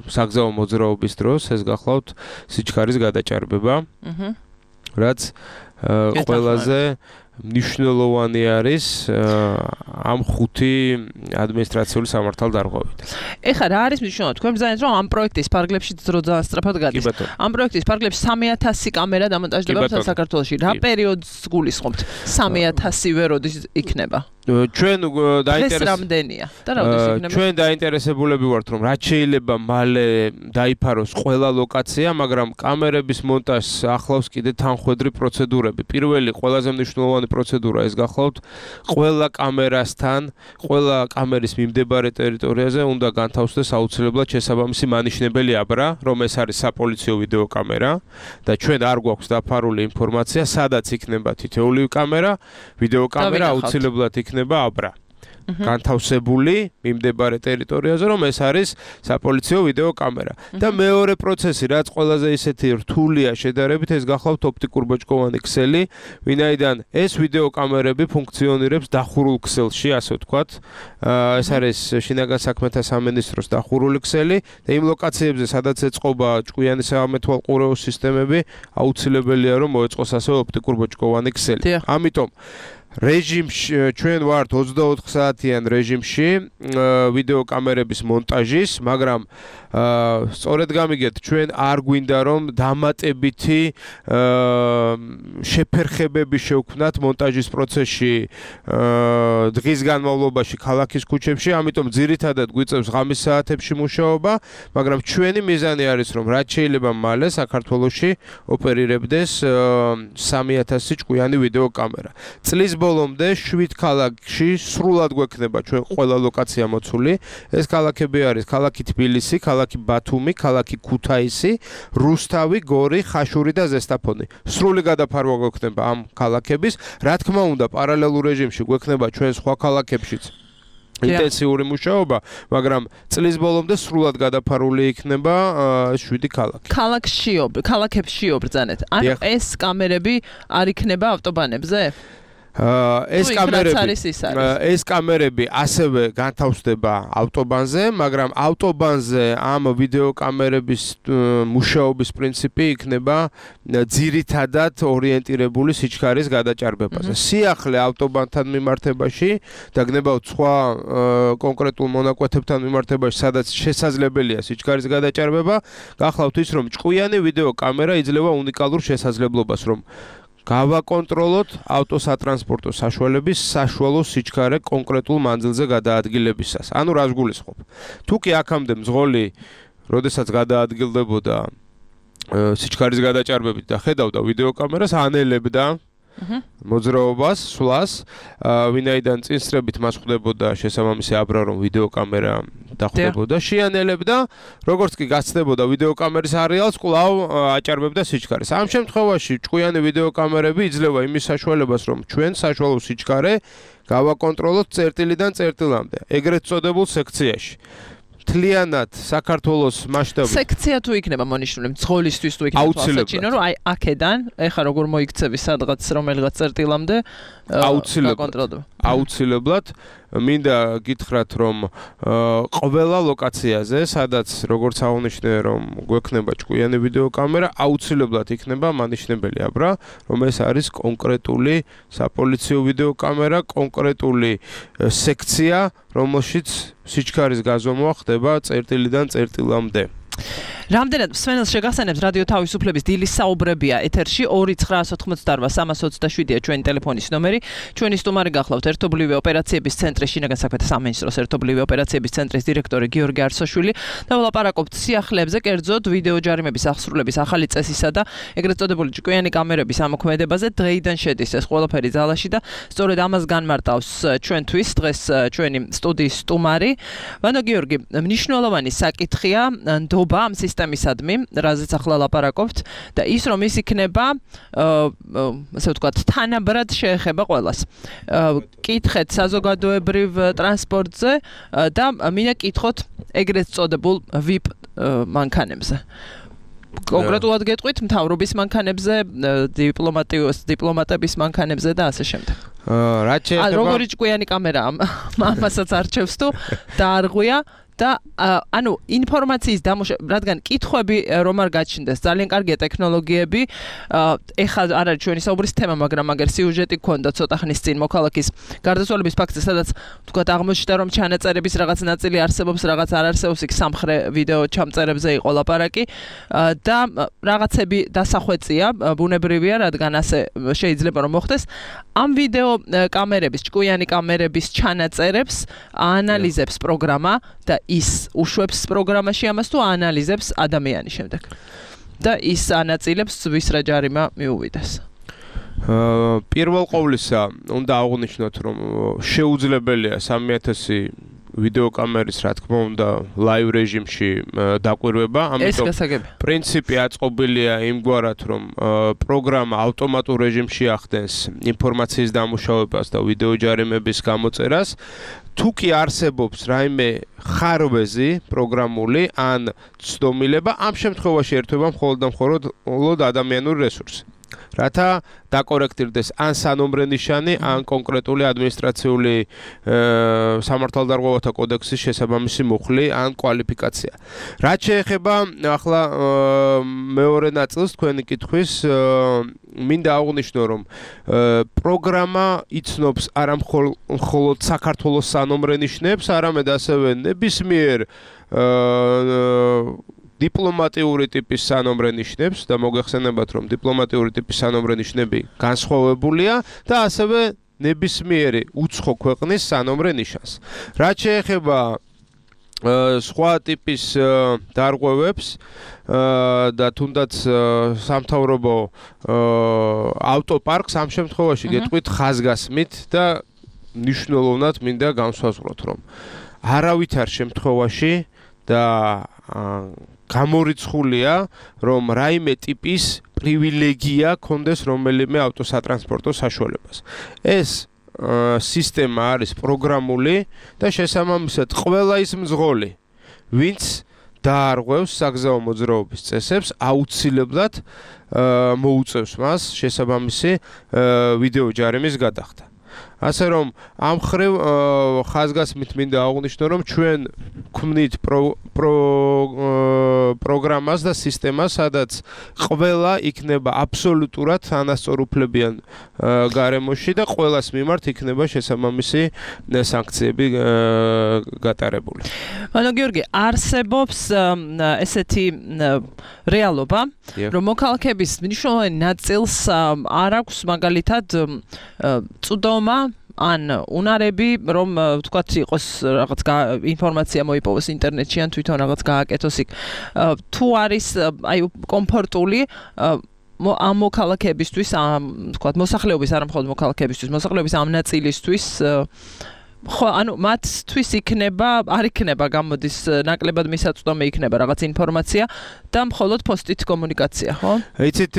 საგზაო მოძრაობის დროს, ეს გახლავთ სიჩქარის გადაჭარბება. რაც ყველაზე მნიშვნელოვანი არის ამ ხუთი ადმინისტრაციული სამართალდარღვევით. ეხლა რა არის მნიშვნელოვანი? თქვენ ბრძანეთ, რომ ამ პროექტის ფარგლებში ძრო ძალიან სწრაფად გადის. ამ პროექტის ფარგლებში სამი ათასი კამერა დამონტაჟდება საქართველოში. რა პერიოდს გულისხმობთ? სამი ათასივე როდის იქნება? ჩვენ დაინტერესებული რამდენია და როდის იქნება? ჩვენ დაინტერესებულები ვართ, რომ რაც შეიძლება მალე დაიფაროს ყველა ლოკაცია, მაგრამ კამერების მონტაჟს ახლავს კიდე თანხვედრი პროცედურები. პირველი ყველაზე მნიშვნელოვანი მნიშვნელოვანი პროცედურა ეს გახლავთ ყველა კამერასთან, ყველა კამერის მიმდებარე ტერიტორიაზე უნდა განთავსდეს აუცილებლად შესაბამისი მანიშნებელი აბრა, რომ ეს არის საპოლიციო ვიდეო კამერა და ჩვენ არ გვაქვს დაფარული ინფორმაცია, სადაც იქნება თითოეული კამერა, ვიდეო კამერა აუცილებლად იქნება აბრა. განთავსებული მიმდებარე ტერიტორიაზე, რომ ეს არის საპოლიციო ვიდეო კამერა. და მეორე პროცესი, რაც ყველაზე ისეთი რთულია შედარებით, ეს გახლავთ ოპტიკურ ბოჭკოვანი ქსელი, ვინაიდან ეს ვიდეო კამერები ფუნქციონირებს დახურულ ქსელში, ასე ვთქვათ. ეს არის შინაგან საქმეთა სამინისტროს დახურული ქსელი და იმ ლოკაციებზე, სადაც ეწყობა ჭკვიანი საამეთვალყურეო სისტემები, აუცილებელია რომ მოეწყოს ასევე ოპტიკურ ბოჭკოვანი ქსელი. ამიტომ რეჟიმში ჩვენ ვართ ოცდაოთხ საათიან რეჟიმში ვიდეო კამერების მონტაჟის, მაგრამ სწორედ გამიგეთ, ჩვენ არ გვინდა რომ დამატებითი შეფერხებები შევქმნათ მონტაჟის პროცესში დღის განმავლობაში ქალაქის ქუჩებში, ამიტომ ძირითადად გვიწევს ღამის საათებში მუშაობა, მაგრამ ჩვენი მიზანი არის რომ რაც შეიძლება მალე საქართველოში ოპერირებდეს სამი ათასი ჭკვიანი ვიდეო კამერა. წლის ბოლომდე შვიდ ქალაქში სრულად გვექნება ჩვენ ყველა ლოკაცია მოცული. ეს ქალაქები არის ქალაქი თბილისი, ქალაქი ბათუმი, ქალაქი ქუთაისი, რუსთავი, გორი, ხაშური და ზესტაფონი. სრული გადაფარვა გვექნება ამ ქალაქების. რა თქმა უნდა, პარალელურ რეჟიმში გვექნება ჩვენ სხვა ქალაქებშიც ინტენსიური მუშაობა, მაგრამ წლის ბოლომდე სრულად გადაფარული იქნება შვიდი ქალაქი. ქალაქში, ქალაქებში ობრძანეთ. ანუ ეს კამერები არ იქნება ავტობანებზე? ეს კამერები ეს კამერები ასევე განთავსდება ავტობანზე, მაგრამ ავტობანზე ამ ვიდეო კამერების მუშაობის პრინციპი იქნება ძირითადად ორიენტირებული სიჩქარის გადაჭარბებაზე. სიახლე ავტობანთან მიმართებაში და გნებავთ სხვა კონკრეტულ მონაკვეთებთან მიმართებაში, სადაც შესაძლებელია სიჩქარის გადაჭარბება, გახლავთ ის, რომ ჭკვიანი ვიდეო კამერა იძლევა უნიკალურ შესაძლებლობას, რომ გავაკონტროლოთ ავტოსატრანსპორტო საშუალების საშუალო სიჩქარე კონკრეტულ მანძილზე გადაადგილებისას. ანუ რას გულისხმობ? თუ კი აქამდე მძღოლი, როდესაც გადაადგილდებოდა სიჩქარის გადაჭარბებით და ხედავდა ვიდეო კამერას, ანელებდა მოძრაობას, სვლას, ვინაიდან წინსწრებით მას ხვდებოდა შესაბამისი აბრა, რომ ვიდეო კამერა დახვდებოდა, შეანელებდა, როგორც კი გაცდებოდა ვიდეო კამერის არეალს, კვლავ აჭარბებდა სიჩქარეს. ამ შემთხვევაში ჭკვიანი ვიდეო კამერები იძლევა იმის საშუალებას, რომ ჩვენ საშუალო სიჩქარე გავაკონტროლოთ წერტილიდან წერტილამდე, ეგრეთ წოდებულ სექციაში. თლიანად საქართველოს მასშტაბით სექცია თუ იქნება მონიშნული მძღოლისთვის თუ იქნება თვალსაჩინო, რომ აი აქედან ეხა როგორ მოიქცევი სადღაც რომელიღაც წერტილამდე აუცილებლად აუცილებლად მინდა გითხრათ, რომ ყველა ლოკაციაზე, სადაც როგორც აღნიშნე, რომ გვექნება ჭკვიანი ვიდეო კამერა, აუცილებლად იქნება მანიშნებელი აბრა, რომ ეს არის კონკრეტული საპოლიციო ვიდეო კამერა, კონკრეტული სექცია, რომელშიც სიჩქარის გაზომვა ხდება წერტილიდან წერტილამდე. რამდენად მსმენელს შეგახსენებს რადიო თავისუფლების დილის საუბრებია ეთერში ორი ცხრაასი ოთხმოცდაარბა სამას ოცდაშვიდია ჩვენი ტელეფონის ნომერი. ჩვენი სტუმარი გახლავთ ერთობლივი ოპერაციების ცენტრის შინაგან საქმეთა სამინისტროს ერთობლივი ოპერაციების ცენტრის დირექტორი გიორგი არსოშვილი და ვლაპარაკობთ სიახლეებზე, კერძოდ ვიდეო ჯარიმების აღსრულების ახალი წესისა და ეგრეთ წოდებული ჭკვიანი კამერების ამოქმედებაზე. დღეიდან შედის ეს ყველაფერი ძალაში და სწორედ ამას განმარტავს ჩვენთვის დღეს ჩვენი სტუდიის სტუმარი. ვანო გიორგი, მნიშვნელოვანი საკითხია ნდობა ამ სისტემისადმი, რაზეც ახლა ლაპარაკობთ და ის რომ ის იქნება, ასე ვთქვათ, თანაბრად შეეხება ყველას. კითხეთ საზოგადოებრივ ტრანსპორტზე და მინდა კითხოთ ეგრეთ წოდებულ ვიპ მანქანებზე. კონკრეტულად გეტყვით მთავრობის მანქანებზე, დიპლომატიოს დიპლომატების მანქანებზე და ასე შემდეგ. რაც შეეხება როგორი ჭკვიანი კამერაა, ამასაც არჩევს თუ დაარღვია და ანუ ინფორმაციის დამუშავება, რადგან კითხვები რომ არ გაჩნდეს, ძალიან კარგია ტექნოლოგიები. ეხლა არ არის ჩვენი საუბრის თემა, მაგრამ მაგერ სიუჟეტი გქონდა ცოტა ხნის წინ მოქალაქის გარდაცვალების ფაქტზე, სადაც თქვათ აღმოჩნდა, რომ ჩანაწერების რაღაც ნაწილი არსებობს, რაღაც არ არსებობს, იქ სამხრე ვიდეო ჩამწერებზე იყო ლაპარაკი და რაღაცები დასახვეწია, ბუნებრივია, რადგან ასე შეიძლება რომ მოხდეს. ამ ვიდეო კამერების, ჭკვიანი კამერების ჩანაწერებს აანალიზებს პროგრამა და ის უშვებს პროგრამაში ამას თუ აანალიზებს ადამიანი შემდეგ. და ის ანაწილებს ვის რა ჯარიმა მიუვიდეს. პირველ ყოვლისა უნდა აღვნიშნოთ, რომ შეუძლებელია სამი ათასი ვიდეოკამერის, რა თქმა უნდა, ლაივ რეჟიმში დაკვირვება, ამიტომ პრინციპი აწყობილია იმგვარად, რომ პროგრამა ავტომატურ რეჟიმში ახდენს ინფორმაციის დამუშავებას და ვიდეო ჯარიმების გამოწერას. თუ კი არსებობს რაიმე ხარვეზი პროგრამული ან ცდომილება, ამ შემთხვევაში ერთვება მხოლოდ და მხოლოდ ადამიანური რესურსი. რათა დაკორექტირდეს ან სანომრე ნიშანი, ან კონკრეტული ადმინისტრაციული სამართალდარღვევათა კოდექსის შესაბამისი მუხლი ან კვალიფიკაცია. რაც შეეხება ახლა მეორე ნაწილს თქვენი კითხვის, მინდა აღვნიშნო, რომ პროგრამა იცნობს არა მხოლოდ საქართველოს სანომრე ნიშნებს, არამედ ასევე ნებისმიერ დიპლომატიური ტიპის სანომრე ნიშნებს და მოგეხსენებათ, რომ დიპლომატიური ტიპის სანომრე ნიშნები განსხვავებულია და ასევე ნებისმიერი უცხო ქვეყნის სანომრე ნიშანს. რაც შეეხება სხვა ტიპის დარღვევებს და თუნდაც სამთავრობო ავტოპარკს ამ შემთხვევაში გეტყვით ხაზგასმით და მნიშვნელოვნად მინდა განსვაზღვროთ, რომ არავითარ შემთხვევაში და გამორიცხულია, რომ რაიმე ტიპის პრივილეგია კონდეს რომელიმე ავტოსატრანსპორტო საშუალებას. ეს სისტემა არის პროგრამული და შესაბამისად ყველა ის მძღოლი, ვინც დაარღვევს საგზაო მოძრაობის წესებს, აუცილებლად მოუწევს მას შესაბამისი ვიდეო ჯარიმის გადახდა. ასე რომ ამ ხრივ ხაზგასმით მინდა აღვნიშნო, რომ ჩვენ გვქმნით პროგრამას და სისტემას, სადაც ყველა იქნება აბსოლუტურად თანასწორუფლებიან გარემოში და ყველას მიმართ იქნება შესაბამისი სანქციები გატარებული. ანუ გიორგი, არსებობს ესეთი რეალობა, რომ მოქალაქეების მნიშვნელოვანი ნაწილს არ აქვს მაგალითად წვდომა ან უნარები, რომ თქვათ იყოს რაღაც ინფორმაცია მოიპოვოს ინტერნეტში ან თვითონ რაღაც გააკეთოს იქ. თუ არის აი კომფორტული ამ მოქალაქეებისთვის, ამ თქვათ მოსახლეობის, არა მხოლოდ მოქალაქეებისთვის, მოსახლეობის ამ ნაწილისთვის ხო, ანუ მათთვის იქნება, არ იქნება გამოდის ნაკლებად მისაწვდომი იქნება რაღაც ინფორმაცია და მხოლოდ პოსტით კომუნიკაცია, ხო? იცით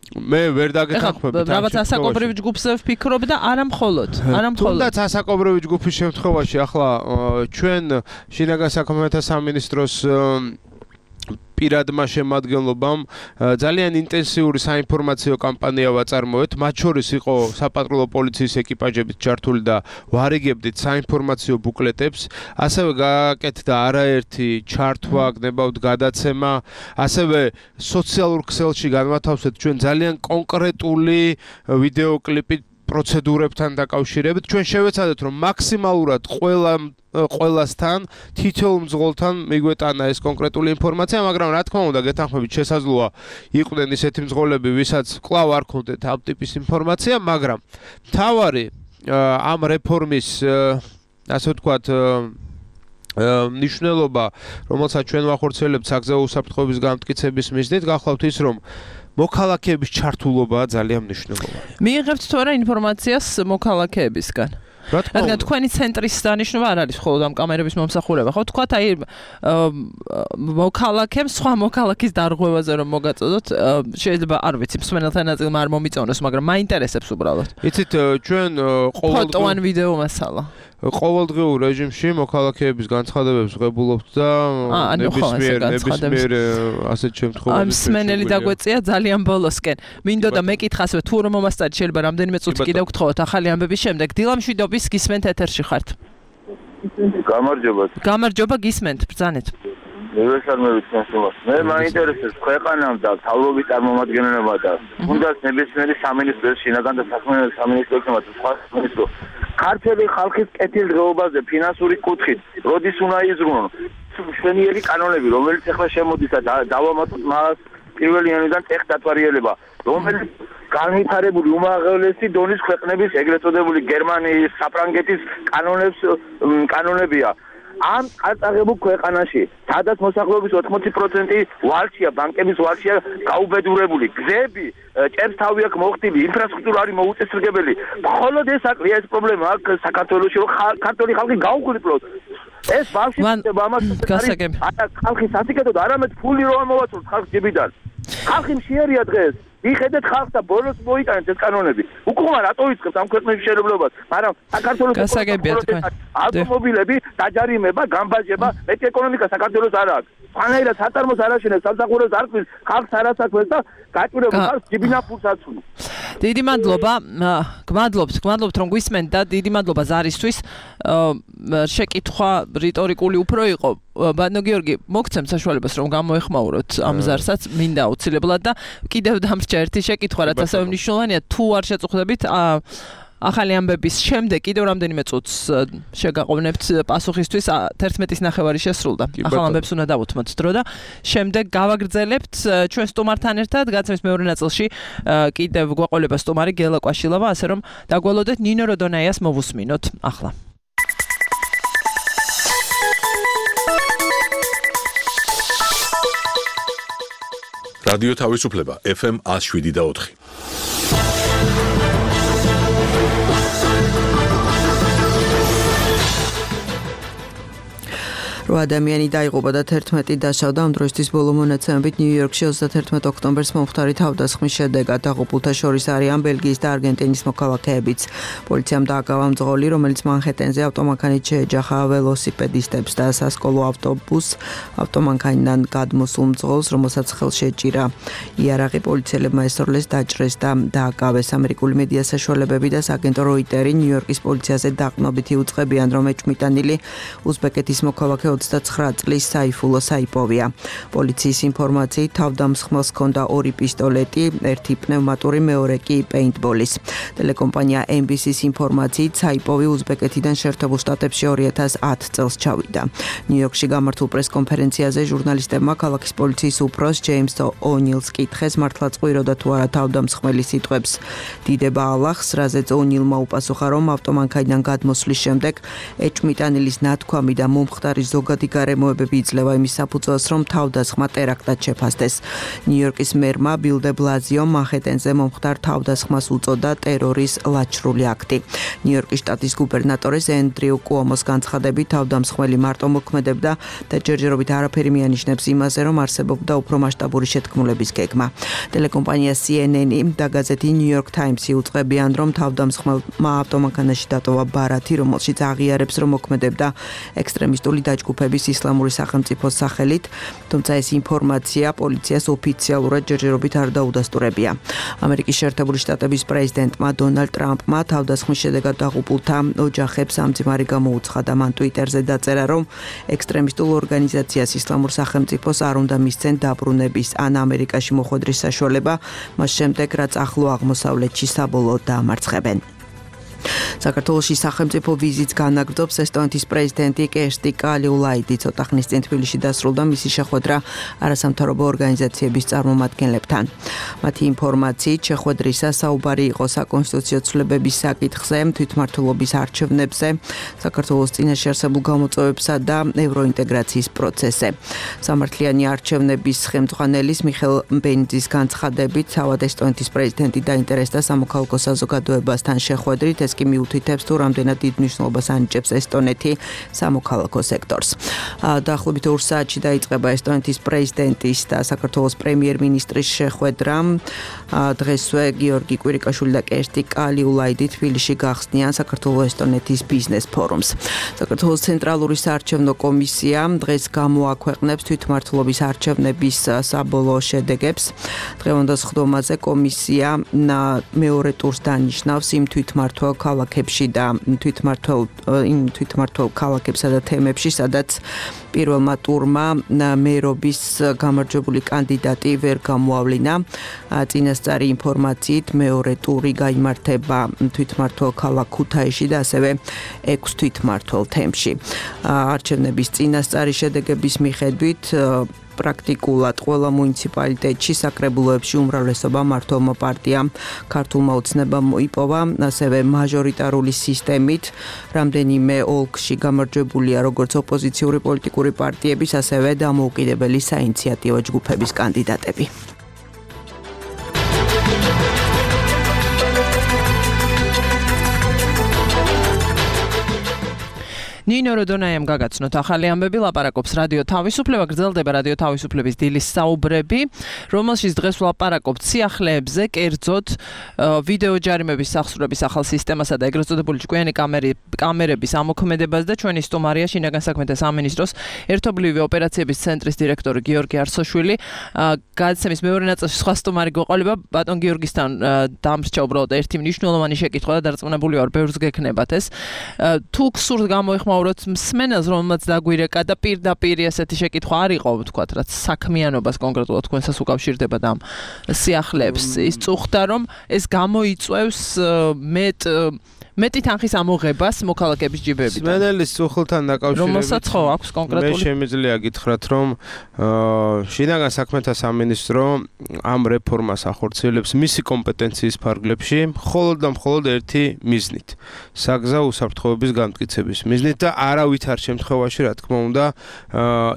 მე ვერ დაგეთანხმებით. რაღაც ასაკობრივ ჯგუფს ვფიქრობ და არა მხოლოდ, არა მხოლოდ. თუნდაც ასაკობრივი ჯგუფის შემთხვევაში ახლა ჩვენ შინაგან საქმეთა სამინისტროს პირადმა შემადგენლობამ ძალიან ინტენსიური საინფორმაციო კამპანია ვაწარმოეთ, მათ შორის იყო საპატრულო პოლიციის ეკიპაჟებით ჩართული და ვარიგებდით საინფორმაციო ბუკლეტებს, ასევე გააკეთდა არაერთი ჩართვა, გნებავთ გადაცემა, ასევე სოციალურ ქსელში განვათავსეთ ჩვენ ძალიან კონკრეტული ვიდეოკლიპი პროცედურებთან დაკავშირებით. ჩვენ შევეცადეთ, რომ მაქსიმალურად ყველა ყველასთან, თითოეულ მძღოლთან მიგვეტანა ეს კონკრეტული ინფორმაცია, მაგრამ რა თქმა უნდა, გეთანხმებით შესაძლოა იყვნენ ისეთი მძღოლები, ვისაც კვლავ არ ქონდეთ ამ ტიპის ინფორმაცია, მაგრამ მთავარი ამ რეფორმის, ასე ვთქვათ, მნიშვნელობა, რომელსაც ჩვენ ვახორციელებთ საგზაო უსაფრთხოების განმტკიცების მიზნით, გახლავთ ის, რომ მოქალაქეების ჩართულობაა ძალიან მნიშვნელოვანი. მიიღებთ თუ არა ინფორმაციას მოქალაქეებისგან? რადგან თქვენი ცენტრის დანიშნულება არ არის მხოლოდ ამ კამერების მომსახურება, ხო? თქვათ აი მოქალაქემ სხვა მოქალაქის დარღვევაზე რომ მოგაწოდოთ, შეიძლება არ ვიცი, მსმენელთა ნაწილმა არ მომიწონოს, მაგრამ მაინტერესებს უბრალოდ. იცით, ჩვენ ყოველდღიურ ფოტო ან ვიდეო მასალა ყოველდღიურ რეჟიმში მოქალაქეების განცხადებებს ვღებულობთ და ნებისმიერ ნებისმიერ ასეთ შემთხვევაში მსმენელი დაგვეწია ძალიან ბოლოსკენ. მინდოდა მეკითხა ასევე თუ რომ მომასწარი შეიძლება რამდენიმე წუთი კიდევ გთხოვოთ ახალი ამბების შემდეგ. დილამშვიდობის, გისმენთ ეთერში ხართ. გამარჯობა. გამარჯობა, გისმენთ, ბრძანეთ. მივესალმებით თქვენს. მე მაინტერესებს ქვეყანამ და თავრობის წარმომადგენლობა და თუნდაც ნებისმიერი სამინისტრო, შინაგან და საქმიანობის სამინისტროებმა და სხვა სამინისტრო ქართული ხალხის კეთილდღეობაზე ფინანსური კუთხით, როდის უნდა იზრუნონ მშვენიერი კანონები, რომელიც ახლა შემოდის და დავამატოთ მას პირველი იანვრიდან ტექ დათვალიერება, რომელიც განვითარებული უმაღლესი დონის ქვეყნების ეგრეთ წოდებული გერმანიის, საფრანგეთის კანონებს კანონებია. ამ წარწაღებულ ქვეყანაში, სადაც მოსახლეობის ოთხმოცი პროცენტი ვალშია, ბანკების ვალშია გაუბედურებული, გზები ჭერს თავი აქვს მოხდილი, ინფრასტრუქტურა არის მოუწესრიგებელი. მხოლოდ ეს აკლია ეს პრობლემა აქ საქართველოში, რომ ქართული ხალხი გაუხლიფლოს. ეს ბავშვი ამას არა ხალხი სასიკეთოდ, არამედ ფული რო ამოვაწუროთ ხალხს ჯიბიდან. ხალხი მშიერია დღეს. მიხედეთ ხალხს და ბოლოს მოიტანეთ ეს კანონები. უკუღმა რატო იწყებს ამ ქვეყნების შეერევლებას? მაგრამ საქართველოს ავტომობილები დაჯარიმება, გამბაჟება, მეტი ეკონომიკა საქართველოს არ აქვს. ფანაირად საწარმოს არ აშენებს, სამსახურებს არ ქმნის, ხალხს არ ასაქმებს და გაჭირებულ ხალხს ჯიბინა ფულს აცუნებს. დიდი მადლობა, გმადლობთ, გმადლობთ რომ გვისმენთ და დიდი მადლობა ზარისთვის. შეკითხვა რიტორიკული უფრო იყო. ბატონო გიორგი, მოგცემ საშუალებას რომ გამოეხმაუროთ ამ ზარსაც, მინდა აუცილებლად და კიდევ დამრჩა ერთი შეკითხვა, რაც ასევე მნიშვნელოვანია, თუ არ შეწუხდებით, ახალი ამბების შემდეგ კიდევ რამდენიმე წუთს შეგაყოვნებთ პასუხისთვის, თერთმეტის ნახევარი შესრულდა. ახალ ამბებს უნდა დავუთმოთ დრო და შემდეგ გავაგრძელებთ ჩვენ სტუმართან ერთად, გაცემის მეორე ნაწილში კიდევ გვაყოლება სტუმარი გელა კვაშილავა, ასე რომ დაგვალოდეთ ნინო როდონაიას მოვუსმინოთ ახლა. რადიო თავისუფლება ეფ ემ one oh seven და four. რო ადამიანი დაიღუპა და თერთმეტი დაშავდა. ამ დროისთვის ბოლო მონაცემებით ნიუ-იორკში ოცდათერთმეტ ოქტომბერს მომხდარი თავდასხმის შედეგად დაღუპულთა შორის არიან ბელგიის და არგენტინის მოქალაქეებიც. პოლიციამ დააკავა მძღოლი, რომელიც მანჰეტენზე ავტომანქანით შეეჯახა ველოსიპედისტებს და სასკოლო ავტობუსს ავტომანქანიდან გადმოსულ მძღოლს, რომელსაც ხელში ეჭირა. იარაღი პოლიციელებმა ესწავლეს, დაჭრეს და დააკავეს. ამერიკული მედია საშუალებები და სააგენტო როიტერი ნიუ-იორკის პოლიციაზე დაყრდნობითი უწყებიან, რომ ეჭვმიტანილი უზბეკეთის მოქალაქე ოცდაცხრა წლის საიფულო საიპოვია. პოლიციის ინფორმაციით თავდამსხმელს ჰქონდა ორი პისტოლეტი, ერთი პნევმატური, მეორე კი პეინტბოლის. ტელეკომპანია ემ ბი სის ინფორმაციით საიპოვი უზბეკეთიდან შეერთებულ შტატებში ორი ათას ათ წელს ჩავიდა. ნიუ-იორკში გამართულ პრესკონფერენციაზე ჟურნალისტებმა ქალაქის პოლიციის უფროს ჯეიმს ონილს კითხეს, მართლა წყვიროდა თუ არა თავდამსხმელის სიტყვებს. დიდება ალახს, რაზეც ონილმა უპასუხა, რომ ავტომანქანიდან გადმოსვლის შემდეგ ეჭვმიტანილის ნათქვამი და მომხდარი ზოგადი გარემოებები იძლევა იმის საფუძველს, რომ თავდასხმა ტერაქტად შეფასდეს. ნიუ-იორკის მერმა ბილ დე ბლაზიომ მანჰეტენზე მომხდარ თავდასხმას უწოდა ტერორის ლაჩრული აქტი. ნიუ-იორკის შტატის გუბერნატორის ენდრიუ კუომოს განცხადებით თავდამსხმელი მარტო მოქმედებდა და ჯერჯერობით არაფერი მიანიშნებს იმაზე, რომ არსებობდა უფრო მასშტაბური შეთქმულების გეგმა. ტელეკომპანია სი ენ ენი და გაზეთი ნიუ-იორკ ტაიმსი უწყებიან, რომ თავდამსხმელმა ავტომანქანაში დატოვა ბარათი, რომელშიც აღიარებს, რომ მოქმედებდა ექსტრემისტული დაჯგუფების ისლამური სახელმწიფოს სახელით, თუმცა ეს ინფორმაცია პოლიციას ოფიციალურად ჯერჯერობით არ დაუდასტურებია. ამერიკის შეერთებული შტატების პრეზიდენტმა დონალდ ტრამპმა თავდასხმის შედეგად დაღუპულთა ოჯახებს სამძიმარი გამოუცხადა. მან ტვიტერზე დაწერა, რომ ექსტრემისტულ ორგანიზაციას ისლამურ სახელმწიფოს არ უნდა მისცენ დაბრუნების ან ამერიკაში მოხვედრის საშუალება, მას შემდეგ რაც ახლო აღმოსავლეთში საბოლოოდ დაამარცხებენ. საქართველოში სახელმწიფო ვიზიტს განაგრძობს ესტონეთის პრეზიდენტი კერსტი კალიულაიდი. ცოტა ხნის წინ თბილისში დასრულდა მისი შეხვედრა არასამთავრობო ორგანიზაციების წარმომადგენლებთან. მათი ინფორმაციით შეხვედრისა საუბარი იყო საკონსტიტუციო ცვლილებების საკითხზე, თვითმმართველობის არჩევნებზე, საქართველოს წინაშე არსებულ გამოწვევებსა და ევროინტეგრაციის პროცესზე. სამართლიანი არჩევნების ხელმძღვანელის მიხელ ბენძის განცხადებით, თავად ესტონეთის პრეზიდენტი დაინტერესდა სამოქალაქო საზოგადოებასთან შეხვედრით, ეს კი მიუთითებს თუ რამდენად დიდ მნიშვნელობას ანიჭებს ესტონეთი სამოქალაქო სექტორს. დაახლოებით ორ საათში დაიწყება ესტონეთის პრეზიდენტის და საქართველოს პრემიერ-მინისტრის შეხვედრა. დღესვე გიორგი კვირიკაშვილი და კერსტი კალიულაიდი თბილისში გახსნიან საქართველოს-ესტონეთის ბიზნეს ფორუმს. საქართველოს ცენტრალური საარჩევნო კომისია დღეს გამოაქვეყნებს თვითმმართველობის არჩევნების საბოლოო შედეგებს. დღევანდელ სხდომაზე კომისია მეორე ტურს დანიშნავს იმ თვითმმართველ ქალაქებში და თვითმმართველ იმ თვითმმართველ ქალაქებსა და თემებში, სადაც პირველმა ტურმა მერობის გამარჯვებული კანდიდატი ვერ გამოავლინა. წინასწარი ინფორმაციით მეორე ტური გაიმართება თვითმმართველ ქალაქ ქუთაისში და ასევე ექვს თვითმმართველ თემში. არჩევნების წინასწარი შედეგების მიხედვით პრაქტიკულად ყველა მუნიციპალიტეტში საკრებულოებში უმრავლესობა მმართველმა პარტიამ ქართულმა ოცნებამ მოიპოვა, ასევე მაჟორიტარული სისტემით. რამდენიმე ოლქში გამარჯვებულია როგორც ოპოზიციური პოლიტიკური პარტიების, ასევე დამოუკიდებელი საინიციატივო ჯგუფების კანდიდატები. ნინო როდონაიამ გაგაცნოთ ახალი ამბები, ლაპარაკობს რადიო თავისუფლება, გრძელდება რადიო თავისუფლების დილის საუბრები, რომელშიც დღეს ვლაპარაკობთ სიახლეებზე, კერძოდ ვიდეო ჯარიმების სახსრების ახალ სისტემასა და ეგრეთ წოდებული ჭკვიანი კამერების ამოქმედებას და ჩვენი სტუმარია შინაგან საქმეთა სამინისტროს ერთობლივი ოპერაციების ცენტრის დირექტორი გიორგი არსოშვილი. გადაცემის მეორე ნაწილში სხვა სტუმარი გვეყოლება, ბატონ გიორგისთან დამრჩა უბრალოდ ერთი მნიშვნელოვანი შეკითხვა და დარწმუნებული ვარ, ბევრს გექნებათ ეს. თუ გსურთ გამოიხმაუროთ მსმენელს, რომელმაც დაგვირეკა და პირდაპირ ესეთი შეკითხვა არ იყო, ვთქვათ, რაც საქმიანობას კონკრეტულად თქვენსას უკავშირდება და ამ სიახლეებს, ის წუხდა, რომ ეს გამოიწვევს მეტ მეტი თანხის ამოღებას მოქალაქეების ჯიბებიდან. მსმენელის წუხლთან დაკავშირებით, რომელსაც ხო აქვს კონკრეტული. მე შემიძლია გითხრათ, რომ შინაგან საქმეთა სამინისტრო ამ რეფორმას ახორციელებს მისი კომპეტენციის ფარგლებში, მხოლოდ და მხოლოდ ერთი მიზნით. საგზაო უსაფრთხოების განმტკიცების მიზნით და არავითარ შემთხვევაში, რა თქმა უნდა,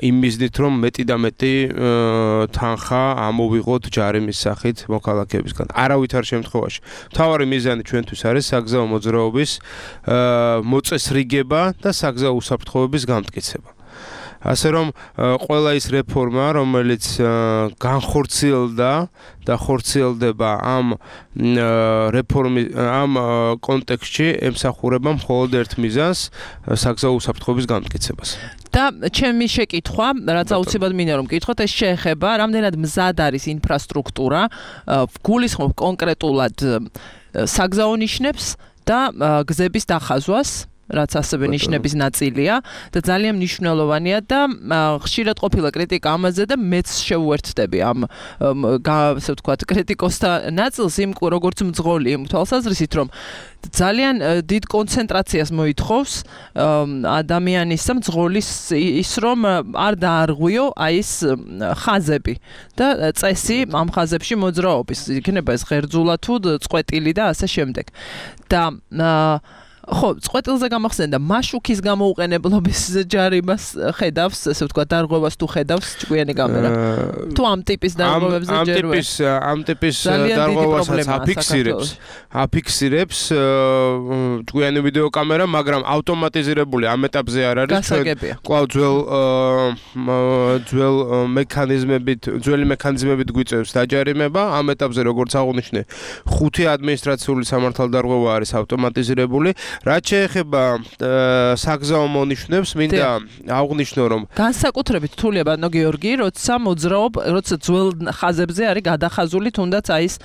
იმ მიზნით, რომ მეტი და მეტი თანხა ამოვიღოთ ჯარიმის სახით მოქალაქეებისგან. არავითარ შემთხვევაში. მთავარი მიზანი ჩვენთვის არის საგზაო მოძრაობა მოწესრიგება და საგზაო უსაფრთხოების განმტკიცება. ასე რომ ყველა ის რეფორმა, რომელიც განხორციელდა და ხორციელდება ამ რეფორმის ამ კონტექსტში, ემსახურება მხოლოდ ერთ მიზანს, საგზაო უსაფრთხოების განმტკიცებას. და ჩემი შეკითხვა, რაც აუცილებლად მინდა რომ გკითხოთ, ეს შეეხება რამდენად მზად არის ინფრასტრუქტურა, გულისხმობ კონკრეტულად საგზაო ნიშნებს და გზების დახაზვას, რაც ასევე ნიშნების ნაწილია და ძალიან მნიშვნელოვანია და ხშირად ყოფილა კრიტიკა ამაზე და მეც შევუერთდები ამ ასე ვთქვათ კრიტიკოსთა ნაწილს იმ როგორც მძღოლი იმ თვალსაზრისით, რომ ძალიან დიდ კონცენტრაციას მოითხოვს ადამიანის მძღოლის ის რომ არ დაარღვიო აი ეს ხაზები და წესი ამ ხაზებში მოძრაობის, იქნება ეს ღერძულა თუ წყვეტილი და ასე შემდეგ. და ხო, წყვეტილზე გამახსენდა მაშუქის გამოუყენებლობის ჯარიმას ხედავს, ასე ვთქვათ, დარღვევას თუ ხედავს ჭკვიანი კამერა. თუ ამ ტიპის დარღვევებზე ჯერვე. ამ ტიპის ამ ტიპის დარღვევასაც აფიქსირებს, აფიქსირებს ჭკვიანი ვიდეო კამერა, მაგრამ ავტომატიზირებული ამ ეტაპზე არ არის. კვლავ ძველ ძველ მექანიზმებით, ძველი მექანიზმებით გვიწევს დაჯარიმება. ამ ეტაპზე როგორც აღნიშნე, ხუთი ადმინისტრაციული სამართალდარღვევა არის ავტომატიზირებული. რაც შეეხება საგზაო მონიშნებს, მინდა აღვნიშნო, რომ განსაკუთრებით რთულია ბატონო გიორგი, როცა მოძრაობ, როცა ძველ ხაზებზე არის გადახაზული თუნდაც აი ეს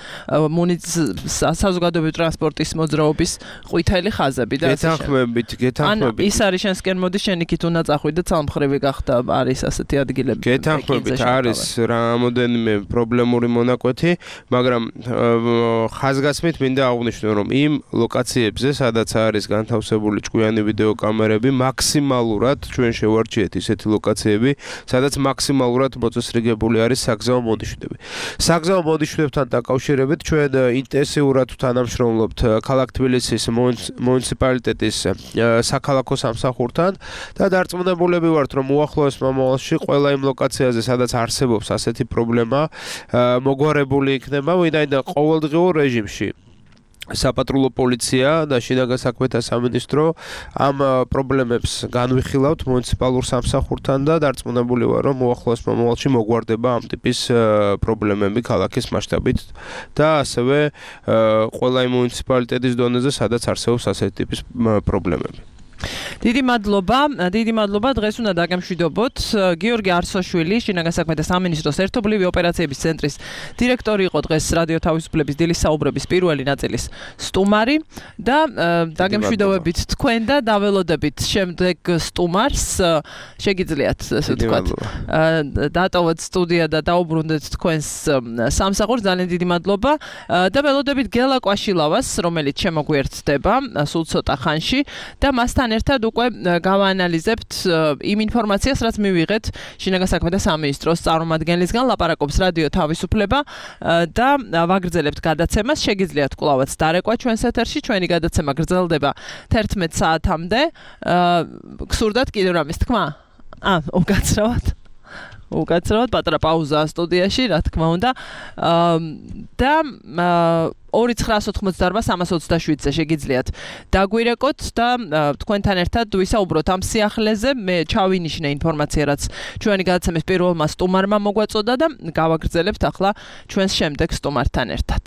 საზოგადოებრივი ტრანსპორტის მოძრაობის ყვითელი ხაზები და ასე შემდეგ. გეთანხმებით, გეთანხმებით. ის არის შენსკენ მოდი შენ იქით უნდა წახვიდე და ცალმხრივი გახდა არის ასეთი ადგილები. გეთანხმებით, არის რამოდენიმე პრობლემური მონაკვეთი, მაგრამ ხაზგასმით მინდა აღვნიშნო, რომ იმ ლოკაციებზე, სადაც არის განთავსებული ჭკვიანი ვიდეო კამერები, მაქსიმალურად ჩვენ შევარჩიეთ ისეთი ლოკაციები, სადაც მაქსიმალურად მოწესრიგებული არის საგზაო მონიშნები. საგზაო მონიშნებთან დაკავშირებით ჩვენ ინტენსიურად თანამშრომლობთ ქალაქ თბილისის მუნიციპალიტეტის საქალაქო სამსახურთან და დარწმუნებულები ვართ, რომ უახლოეს მომავალში ყველა იმ ლოკაციაზე, სადაც არსებობს ასეთი პრობლემა, მოგვარებული იქნება, ვინაიდან ყოველდღიურ რეჟიმში საპატრულო პოლიცია და შინაგან საქმეთა სამინისტრო ამ პრობლემებს განვიხილავთ მუნიციპალურ სამსახურთან და დარწმუნებული ვარ, რომ უახლოეს მომავალში მოგვარდება ამ ტიპის პრობლემები ქალაქის მასშტაბით და ასევე ყველა იმ მუნიციპალიტეტის დონეზე, სადაც არსებობს ასეთი ტიპის პრობლემები. დიდი მადლობა, დიდი მადლობა. დღეს უნდა დაგემშვიდობოთ. გიორგი არსოშვილი, შინაგან საქმეთა სამინისტროს ერთობლივი ოპერაციების ცენტრის დირექტორი იყო დღეს რადიო თავისუფლების დილის საუბრების პირველი ნაწილის სტუმარი და დაგემშვიდობებით თქვენ და დაველოდებით შემდეგ სტუმარს. შეგიძლიათ, ასე ვთქვათ, დატოვოთ სტუდია და დაუბრუნდეთ თქვენს სამსახურს. ძალიან დიდი მადლობა და ველოდებით გელა კვაშილავას, რომელიც შემოგვიერთდება სულ ცოტა ხანში და მასთან ერთად უკვე გავაანალიზებთ იმ ინფორმაციას, რაც მივიღეთ შინაგან საქმეთა სამინისტროს წარმომადგენლისგან. ლაპარაკობს რადიო თავისუფლება და ვაგრძელებთ გადაცემას. შეგიძლიათ კვლავაც დარეკვა ჩვენს ეთერში. ჩვენი გადაცემა გრძელდება თერთმეტ საათამდე. გსურდათ კიდევ რამის თქმა? ა, უკაცრავად. უკაცრავად პატარა პაუზა სტუდიაში, რა თქმა უნდა. და ორი ცხრაას ოცდაოთხ სამას ოცდაშვიდზე შეგიძლიათ დაგვირეკოთ და თქვენთან ერთად ვისაუბროთ ამ სიახლეზე. მე ჩავინიშნე ინფორმაცია, რაც ჩვენი გადაცემის პირველმა სტუმარმა მოგვაწოდა და გავაგრძელებთ ახლა ჩვენს შემდეგ სტუმართან ერთად.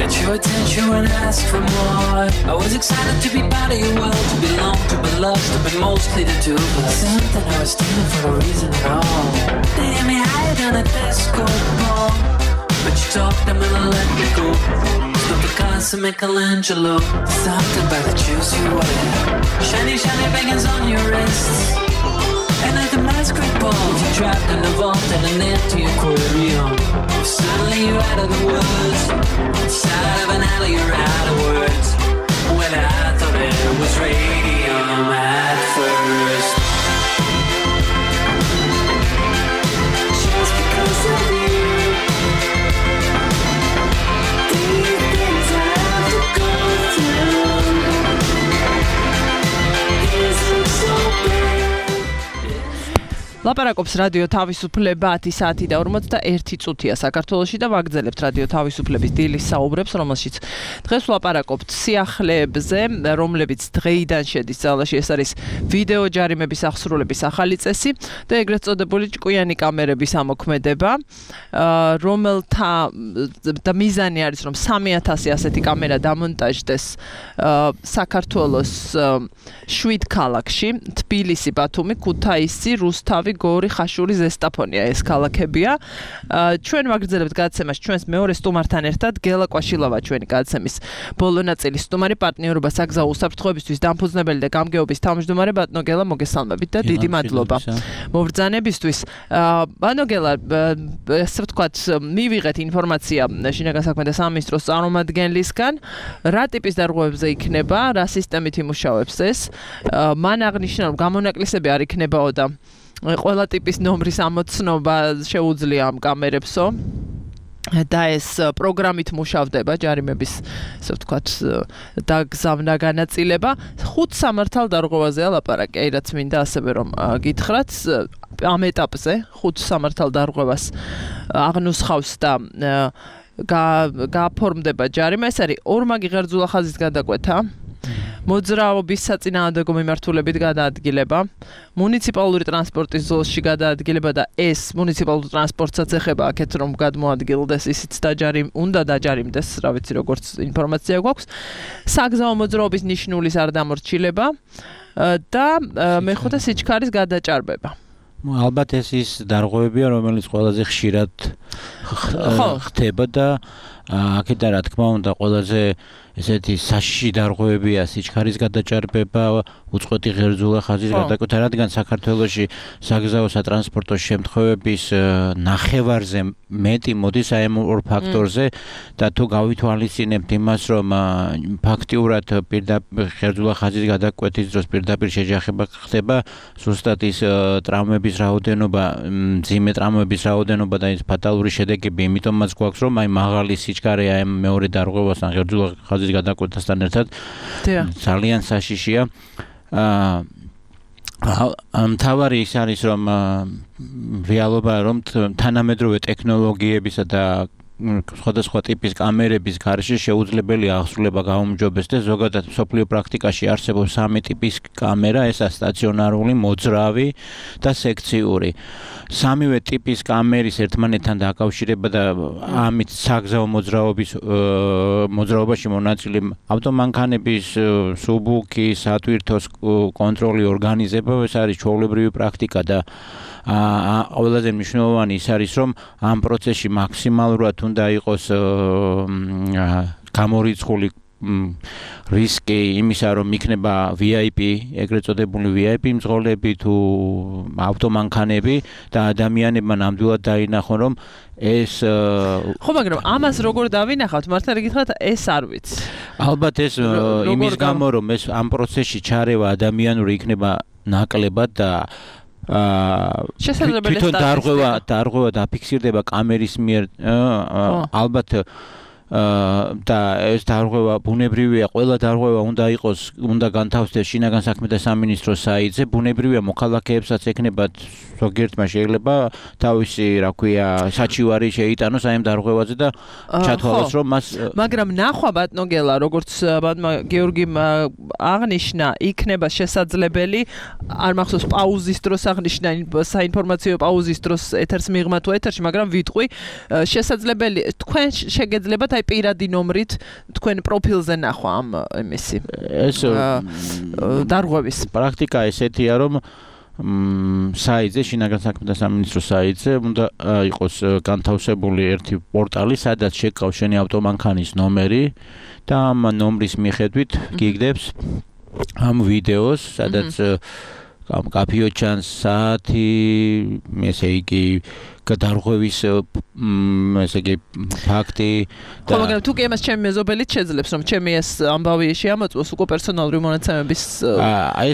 Got your attention when I asked for more. I was excited to be part of your world, to belong, to be loved, to be mostly the two of us. Something I was stealing for no reason at all. They hit me higher than a disco ball, but you talked, I'm gonna let me go. Stop the cars to Michelangelo. Something about the juice you wear, shiny, shiny bangers on your wrists. And at the masquerade ball, you trapped in the vault and an empty aquarium. Suddenly you're out of the woods, inside of an alley you're out of words. When I thought it was radium at first. Just because of you, these things I have to go through. Isn't so bad. ლაპარაკობს რადიო თავისუფლება ათი საათი და ორმოცდაერთი წუთია საქართველოში და ვაგრძელებთ რადიო თავისუფლების დილის საუბრებს, რომელშიც დღეს ვლაპარაკობთ სიახლეებზე, რომლებიც დღეიდან შედის ძალაში. ეს არის ვიდეო ჯარიმების აღსრულების ახალი წესი და ეგრეთ წოდებული ჭკვიანი კამერების ამოქმედება, რომელთა და მიზანი არის, რომ სამი ათასი ასეთი კამერა დამონტაჟდეს საქართველოს შვიდ ქალაქში: თბილისი, ბათუმი, ქუთაისი, რუსთავი, გორი, ხაშური, ზესტაფონია ეს ქალაქებია. ჩვენ ვაგრძელებთ გადაცემას ჩვენს მეორე სტუმართან ერთად. გელა კვაშილავა ჩვენი გადაცემის ბოლო ნაწილის სტუმარი, პარტნიორობა საგზაო უსაფრთხოებისთვის დამფუძნებელი და გამგეობის თავმჯდომარე. ბატონო გელა, მოგესალმებით და დიდი მადლობა მობრძანებისთვის. ბატონო გელა, ასე ვთქვათ, მივიღეთ ინფორმაცია შინაგან საქმეთა სამინისტროს წარმომადგენლისგან, რა ტიპის დარღვევებზე იქნება, რა სისტემით იმუშავებს ეს. მან აღნიშნა, რომ გამონაკლისები არ იქნებაო და ყველა ტიპის ნომრის ამოცნობა შეუძლია ამ კამერებსო და ეს პროგრამით მუშავდება ჯარიმების, ასე ვთქვათ, დაგზავნა განაწილება. ხუთ სამართალ დარღვევაზეა ლაპარაკი, აი რაც მინდა ასევე რომ გითხრათ ამ ეტაპზე ხუთ სამართალ დარღვევას აღნუსხავს და გააფორმდება ჯარიმა. ეს არის ორმაგი ღერძულა ხაზის გადაკვეთა, მოძრაობის საწინააღმდეგო მიმართულებით გადაადგილება, მუნიციპალური ტრანსპორტის ზოლში გადაადგილება და ეს მუნიციპალურ ტრანსპორტსაც ეხება აქეთ რომ გადმოადგილდეს, ისიც დაჯარიმ უნდა დაჯარიმდეს, რა ვიცი როგორც ინფორმაცია გვაქვს. საგზაო მოძრაობის ნიშნულის არ დამორჩილება და მეხუთე სიჩქარის გადაჭარბება. ალბათ ეს ის დარღვევებია, რომელიც ყველაზე ხშირად ხდება და აქეთა რა თქმა უნდა ყველაზე ესეთი საშიში დარღვევებია სიჩქარის გადაჭარბება, უწყვეტი ღერძულა ხაზის გადაკვეთა, რადგან საქართველოში საგზაო სატრანსპორტო შემთხვევების ნახევარზე მეტი მოდის აი ამ ორ ფაქტორზე და თუ გავითვალისწინებთ იმას, რომ ფაქტიურად პირდაპირ ღერძულა ხაზის გადაკვეთის დროს პირდაპირ შეჯახება ხდება, ზუსტად ის ტრავმების რაოდენობა, მძიმე ტრავმების რაოდენობა და ის ფატალური შედეგები, იმიტომაც გვაქვს, რომ აი მაღალი სიჩქარე აი მეორე დარღვევასთან ღერძულა ხაზის გადაკვეთასთან ერთად ძალიან საშიშია. მთავარი ის არის, რომ რეალობა რომ თანამედროვე ტექნოლოგიებისა და სხვადასხვა ტიპის კამერების გარშე შეუძლებელია აღსრულება გაუმჯობეს და ზოგადად მსოფლიო პრაქტიკაში არსებობს სამი ტიპის კამერა, ესაა სტაციონარული, მოძრავი და სექციური. სამივე ტიპის კამერის ერთმანეთთან დაკავშირება და ამით საგზაო მოძრაობის მოძრაობაში მონაწილე ავტომანქანების სუბუქი, სატვირთოს კონტროლი, ორგანიზება, ეს არის ჩვეულებრივი პრაქტიკა და ყველაზე მნიშვნელოვანი ის არის, რომ ამ პროცესში მაქსიმალურად უნდა იყოს გამორიცხული რისკი იმისა, რომ იქნება V I P, ეგრეთ წოდებული V I P მძღოლები თუ ავტომანქანები და ადამიანებმა ნამდვილად დაინახონ, რომ ეს ხო, მაგრამ ამას როგორ დავინახავთ? მართალი გითხრათ, ეს არ ვიცი. ალბათ ეს იმის გამო, რომ ეს ამ პროცესში ჩარევა ადამიანური იქნება ნაკლებად და შესაძლებელი თვითონ დარღვევა დარღვევა დაფიქსირდება კამერის მიერ ალბათ და ეს დარღვევა ბუნებრივია, ყველა დარღვევა უნდა იყოს, უნდა განთავსდეს შინაგან საქმეთა სამინისტროს საიტზე, ბუნებრივია მოქალაქეებსაც ეკნებათ ზოგიერთმა შეიძლება თავისი, რა ქვია, საჩივარი შეიტანოს აი ამ დარღვევაზე და ჩათვალოს, რომ მას მაგრამ ნახვა ბატონო გელა, როგორც ბატონმა გიორგიმ აღნიშნა, იქნება შესაძლებელი, არ მახსოვს პაუზის დროს აღნიშნა, საინფორმაციო პაუზის დროს ეთერს მიღმა თუ ეთერში, მაგრამ ვიტყვი, შესაძლებელი თქვენ შეგეძლებათ აი პირადი ნომრით თქვენ პროფილზე ნახვა ამ იმისი ეს დარღვევის პრაქტიკა ესეთია, რომ საიტზე, შინაგან საქმეთა სამინისტროს საიტზე უნდა იყოს განთავსებული ერთი პორტალი, სადაც შეკავ შენი ავტომანქანის ნომერი და ამ ნომრის მიხედვით გიგდებს ამ ვიდეოს, სადაც კაფიო ჩანს საათი, ესე იგი გადარღვევის ესე იგი ფაქტი და ხო, მაგრამ თუ კი ამას ჩემი მეზობელით შეძლებს, რომ ჩემი ეს ამბავი შეამოწმოს უკვე პერსონალური მონაცემების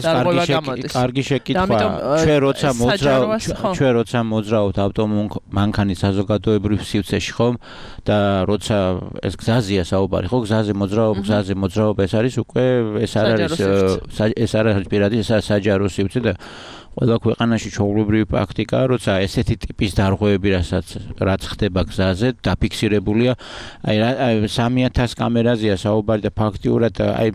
დარღვევა გამოდის. კარგი შეკითხვა. ჩვენ როცა მოძრავთ, ჩვენ როცა მოძრავთ ავტომანქანის საზოგადოებრივ სივრცეში, ხომ? და როცა ეს გზაზეა საუბარი, ხო? გზაზე მოძრაობა, გზაზე მოძრაობა ეს არის უკვე ეს არ არის ეს არ არის პირადი, ეს არის საჯარო სივრცე და ყველა ქვეყანაში ჩვეულებრივი პრაქტიკაა, როცა ესეთი ტიპის დარღვევები, რასაც რაც ხდება გზაზე, დაფიქსირებულია, აი სამი ათას კამერაზეა საუბარი და ფაქტიურად აი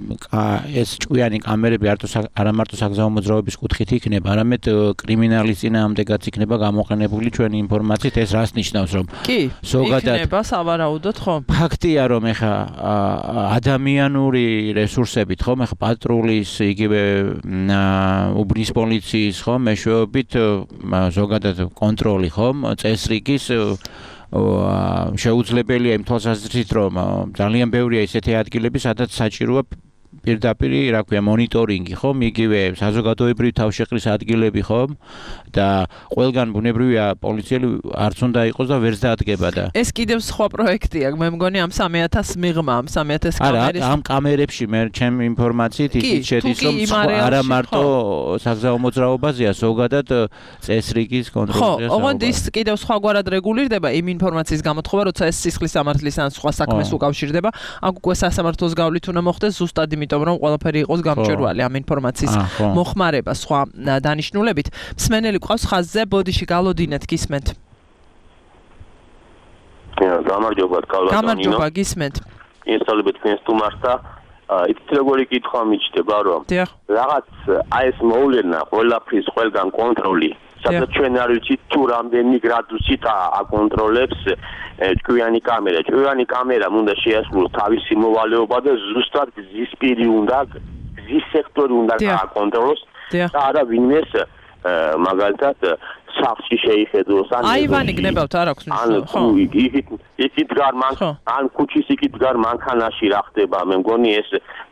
ეს ჭკვიანი კამერები არა მარტო საგზაო მოძრაობის კუთხით იქნება, არამედ კრიმინალის წინააღმდეგაც იქნება გამოყენებული ჩვენი ინფორმაციით, ეს რას ნიშნავს, რომ ზოგადად იქნება სავარაუდოდ, ხო? ფაქტია, რომ ეხა ადამიანური რესურსებით, ხო, ეხა პატრულის, იგივე უბნის პოლიციის, ხო, მეშვეობით ზოგადად კონტროლი, ხომ, წესრიგის შეუძლებელია იმ თვალსაზრისით, რომ ძალიან ბევრია ისეთი ადგილები, სადაც საჭიროა პირდაპირ, რა ქვია, მონიტორინგი, ხომ, იგივე საზოგადოებრივი თავშეყრის ადგილები, ხომ, და ყველგან ბუნებრივია პოლიციელი არც უნდა იყოს და ვერც დაადგება და ეს კიდევ სხვა პროექტია, მე მგონი ამ სამი ათას მიღმა, ამ სამი ათას კამერის. არა, ამ კამერებში მე ჩემი ინფორმაციით ისიც შედის, რომ არა მარტო საგზაო მოძრაობაზეა, ზოგადად წესრიგის კონტროლზეა. ხო, ოღონდ ის კიდევ სხვაგვარად რეგულირდება იმ ინფორმაციის გამოთხოვა, როცა ეს სისხლის სამართლის ან სხვა საქმეს უკავშირდება, აქ უკვე სასამართლოს გავლით უნდა მოხდეს ზუსტად იმიტომ, რომ ყველაფერი იყოს გამჭვირვალე ამ ინფორმაციის მოხმარება სხვა დანიშნულებით. მსმენელი ყავს ხაზზე, ბოდიში გალოდინეთ, გისმენთ. გამარჯობა, კალათონინო. გამარჯობა, გისმენთ. ისწავლებით თქვენ სტუმარსა, იცით როგორი კითხვა მიჩნდება, რომ რაღაც აი ეს მოვლენა, ყველაფრის ყველგან კონტროლი, სადაც ჩვენ არ ვიცით თუ რამდენი გრადუსით აკონტროლებს ჭკვიანი კამერა. ჭკვიანი კამერამ უნდა შეასრულოს თავისი მოვალეობა და ზუსტად გზის პირი უნდა, გზის სექტორი უნდა აკონტროლოს და არა ვინმეს მაგალითად სახლში შეიხედოს ან აივანი გნებავთ, არ აქვს მნიშვნელობა, ხო? ან იქით იქით გარ მანქანა, ან ქუჩის იქით გარ მანქანაში რა ხდება, მე მგონი ეს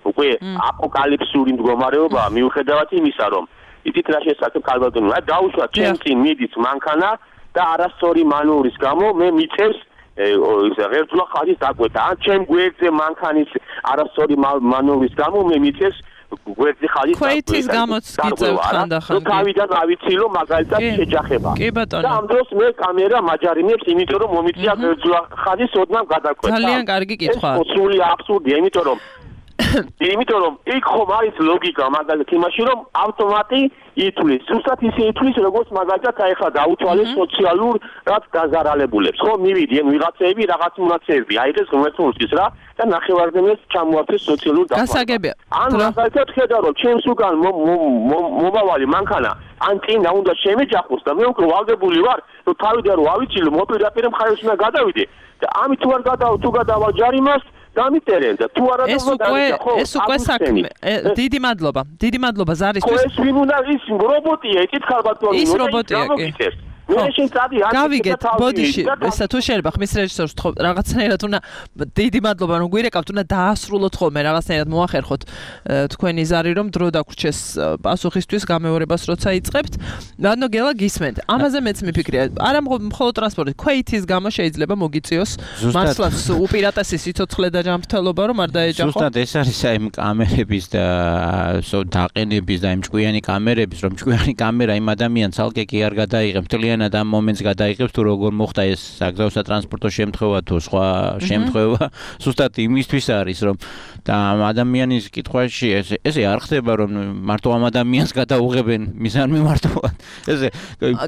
უკვე აპოკალიფსური მდგომარეობაა, მიუხედავად იმისა, რომ იცით რა შესაძლოა კალბატონო, აი დაუშვა ჩემ წინ მიდის მანქანა და არასწორი მანევრის გამო მე მიწევს ღერძულა ხაზის დაკვეთა, ან ჩემ გვერდზე მანქანის არასწორი მანევრის გამო მე მიწევს გვერდზე ხაზის დაკვეთა. ქვეითის გამოც გიწევთ ხანდახან. ნუ თავიდან ავიცი რომ მაგალითად შეჯახება. კი ბატონო. და ამ დროს მე კამერა მაჯარიმებს, იმიტომ რომ მომიწია ღერძულა ხაზის ოდნავ გადაკვეთა. ძალიან კარგი კითხვაა. ეს სრული აბსურდია, იმიტომ რომ იმიტომ რომ იქ ხომ არის ლოგიკა მაგალითად იმაში რომ ავტომატი ითulis ზუსტად ისე ითulis როგორც მაგალითად აი ხა დაუთვალეს სოციალურ რაც დაზარალებულებს ხო მივიდი ან ვიღაცები რაღაც მონაცემები აიღეს ღმერთმოსის რა და ნახევარდენს ჩამოართვეს სოციალურ გასაგებია ან მაგალითად ხედა რომ ჩემს უკან მომავალი მანქანა ან წინა უნდა შემეჯახოს და მე უკვე ვალდებული ვარ რომ თავიდან რომ ავიჩილო მოპირდაპირ მხარეს უნდა გადავიდე და ამით თუ არ გადავა თუ გადავა ჯარიმას დამიტერენ და თუ არა ეს უკვე ეს უკვე საქმე დიდი მადლობა დიდი მადლობა ზარისთვის ეს ვინ უნდა ის რობოტია იკითხავ ბატონო ის რობოტია კი გავიგეთ ბოდიში ესა თუ შეიძლება ხმის რეჟისორს თქო რაღაცნაირად უნდა დიდი მადლობა რომ გვირეკავთ უნდა დაასრულოთ ხოლმე რაღაცნაირად მოახერხოთ თქვენი ზარი რომ დრო დაგვრჩეს პასუხისთვის გამეორებას როცა იწყებთ ანუ გელა გისმენთ ამაზე მეც მიფიქრია არა მხოლოდ ტრანსპორტი ქვეითის გამო შეიძლება მოგიწიოს მართლაც უპირატესი სიცოცხლე და ჯანმრთელობა რომ არ დაეჯახო ზუსტად ეს არის აი კამერების და დაყენების და იმ ჭკვიანი კამერების რომ ჭკვიანი კამერა იმ ადამიანს ალკე კი არ გადაიღებს მთლიან და მომენტს გადაიღებს თუ როგორ მოხდა ეს საგზაო სატრანსპორტო შემთხვევა თუ სხვა შემთხვევა ზუსტად იმისთვის არის რომ და ადამიანის კითხვაში ეს ესე არ ხდება რომ მარტო ამ ადამიანს გადაუღებენ მიზანმიმართულად ესე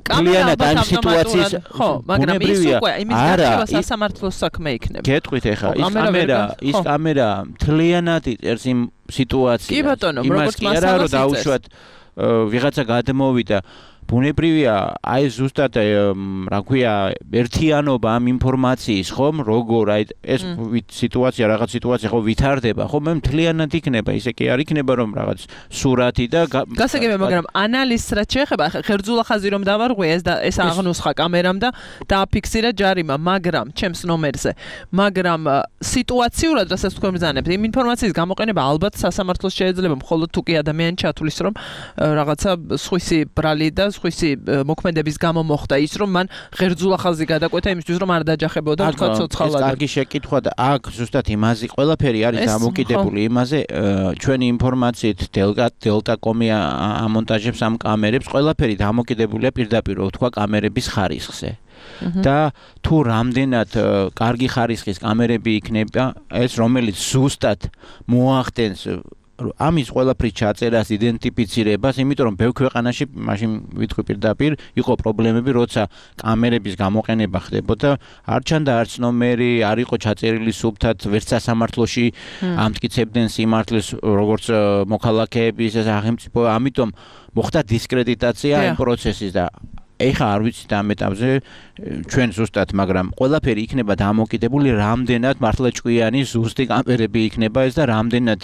კამერა და ამ სიტუაციის ხო მაგრამ ის უკვე იმის გარჩევა სასამართლოს საქმე იქნება გეტყვით ეხა ის კამერა ის კამერა მთლიანად იწერს იმ სიტუაციას კი ბატონო როგორც მასალას რომ დაუშვათ ვიღაცა გადმოვიდა ბუნებრივია აი ზუსტად რა ქვია ერთიანობა ამ ინფორმაციის ხომ როგორ აი ეს სიტუაცია რაღაც სიტუაცია ხო ვითარდება ხო მე მთლიანად იქნება ისე კი არ იქნება რომ რაღაც სურათი და გასაგებია მაგრამ ანალიზს რაც შეეხება ხერძულა ხაზი რომ დავარღვია ეს და ეს აღნუსხა კამერამ და დააფიქსირა ჯარიმა მაგრამ ჩემს ნომერზე მაგრამ სიტუაციურად რასაც თქვენ ბრძანებთ იმ ინფორმაციის გამოყენება ალბათ სასამართლოს შეიძლება მხოლოდ თუ კი ადამიანი ჩათulis რომ რაღაცა სხვისი ბრალი და სხვისი მოქმედების გამო მოხდა ის რომ მან ღერძულა ხაზი გადაკვეთა იმისთვის რომ არ დაჯახებოდა თქვა ცოცხალად. ეს კარგი შეკითხვა და აქ ზუსტად იმაზე ყველაფერი არის დამოკიდებული იმაზე ჩვენი ინფორმაციით დელტა დელტა.com-ი ამონტაჟებს ამ კამერებს ყველაფერი დამოკიდებულია პირდაპირ თქვა კამერების ხარისხზე. და თუ რამდენად კარგი ხარისხის კამერები იქნება ეს რომელიც ზუსტად მოახდენს ამის ყველაფრის ჩაწერას, იდენტიფიცირებას, იმიტომ რომ ბევრ ქვეყანაში მაშინ ვიტყვი პირდაპირ იყო პრობლემები, როცა კამერების გამოყენება ხდებოდა, არ ჩანდა არც ნომერი, არ იყო ჩაწერილი სუფთად, ვერც სასამართლოში ამტკიცებდნენ სიმართლეს, როგორც მოქალაქეების სახელმწიფო, ამიტომ მოხდა დისკრედიტაცია ამ პროცესის და ეხა არ ვიცით ამ ეტაპზე ჩვენ ზუსტად, მაგრამ ყველაფერი იქნება დამოკიდებული რამდენად მართლა ჭკვიანი ზუსტი კამერები იქნება ეს და რამდენად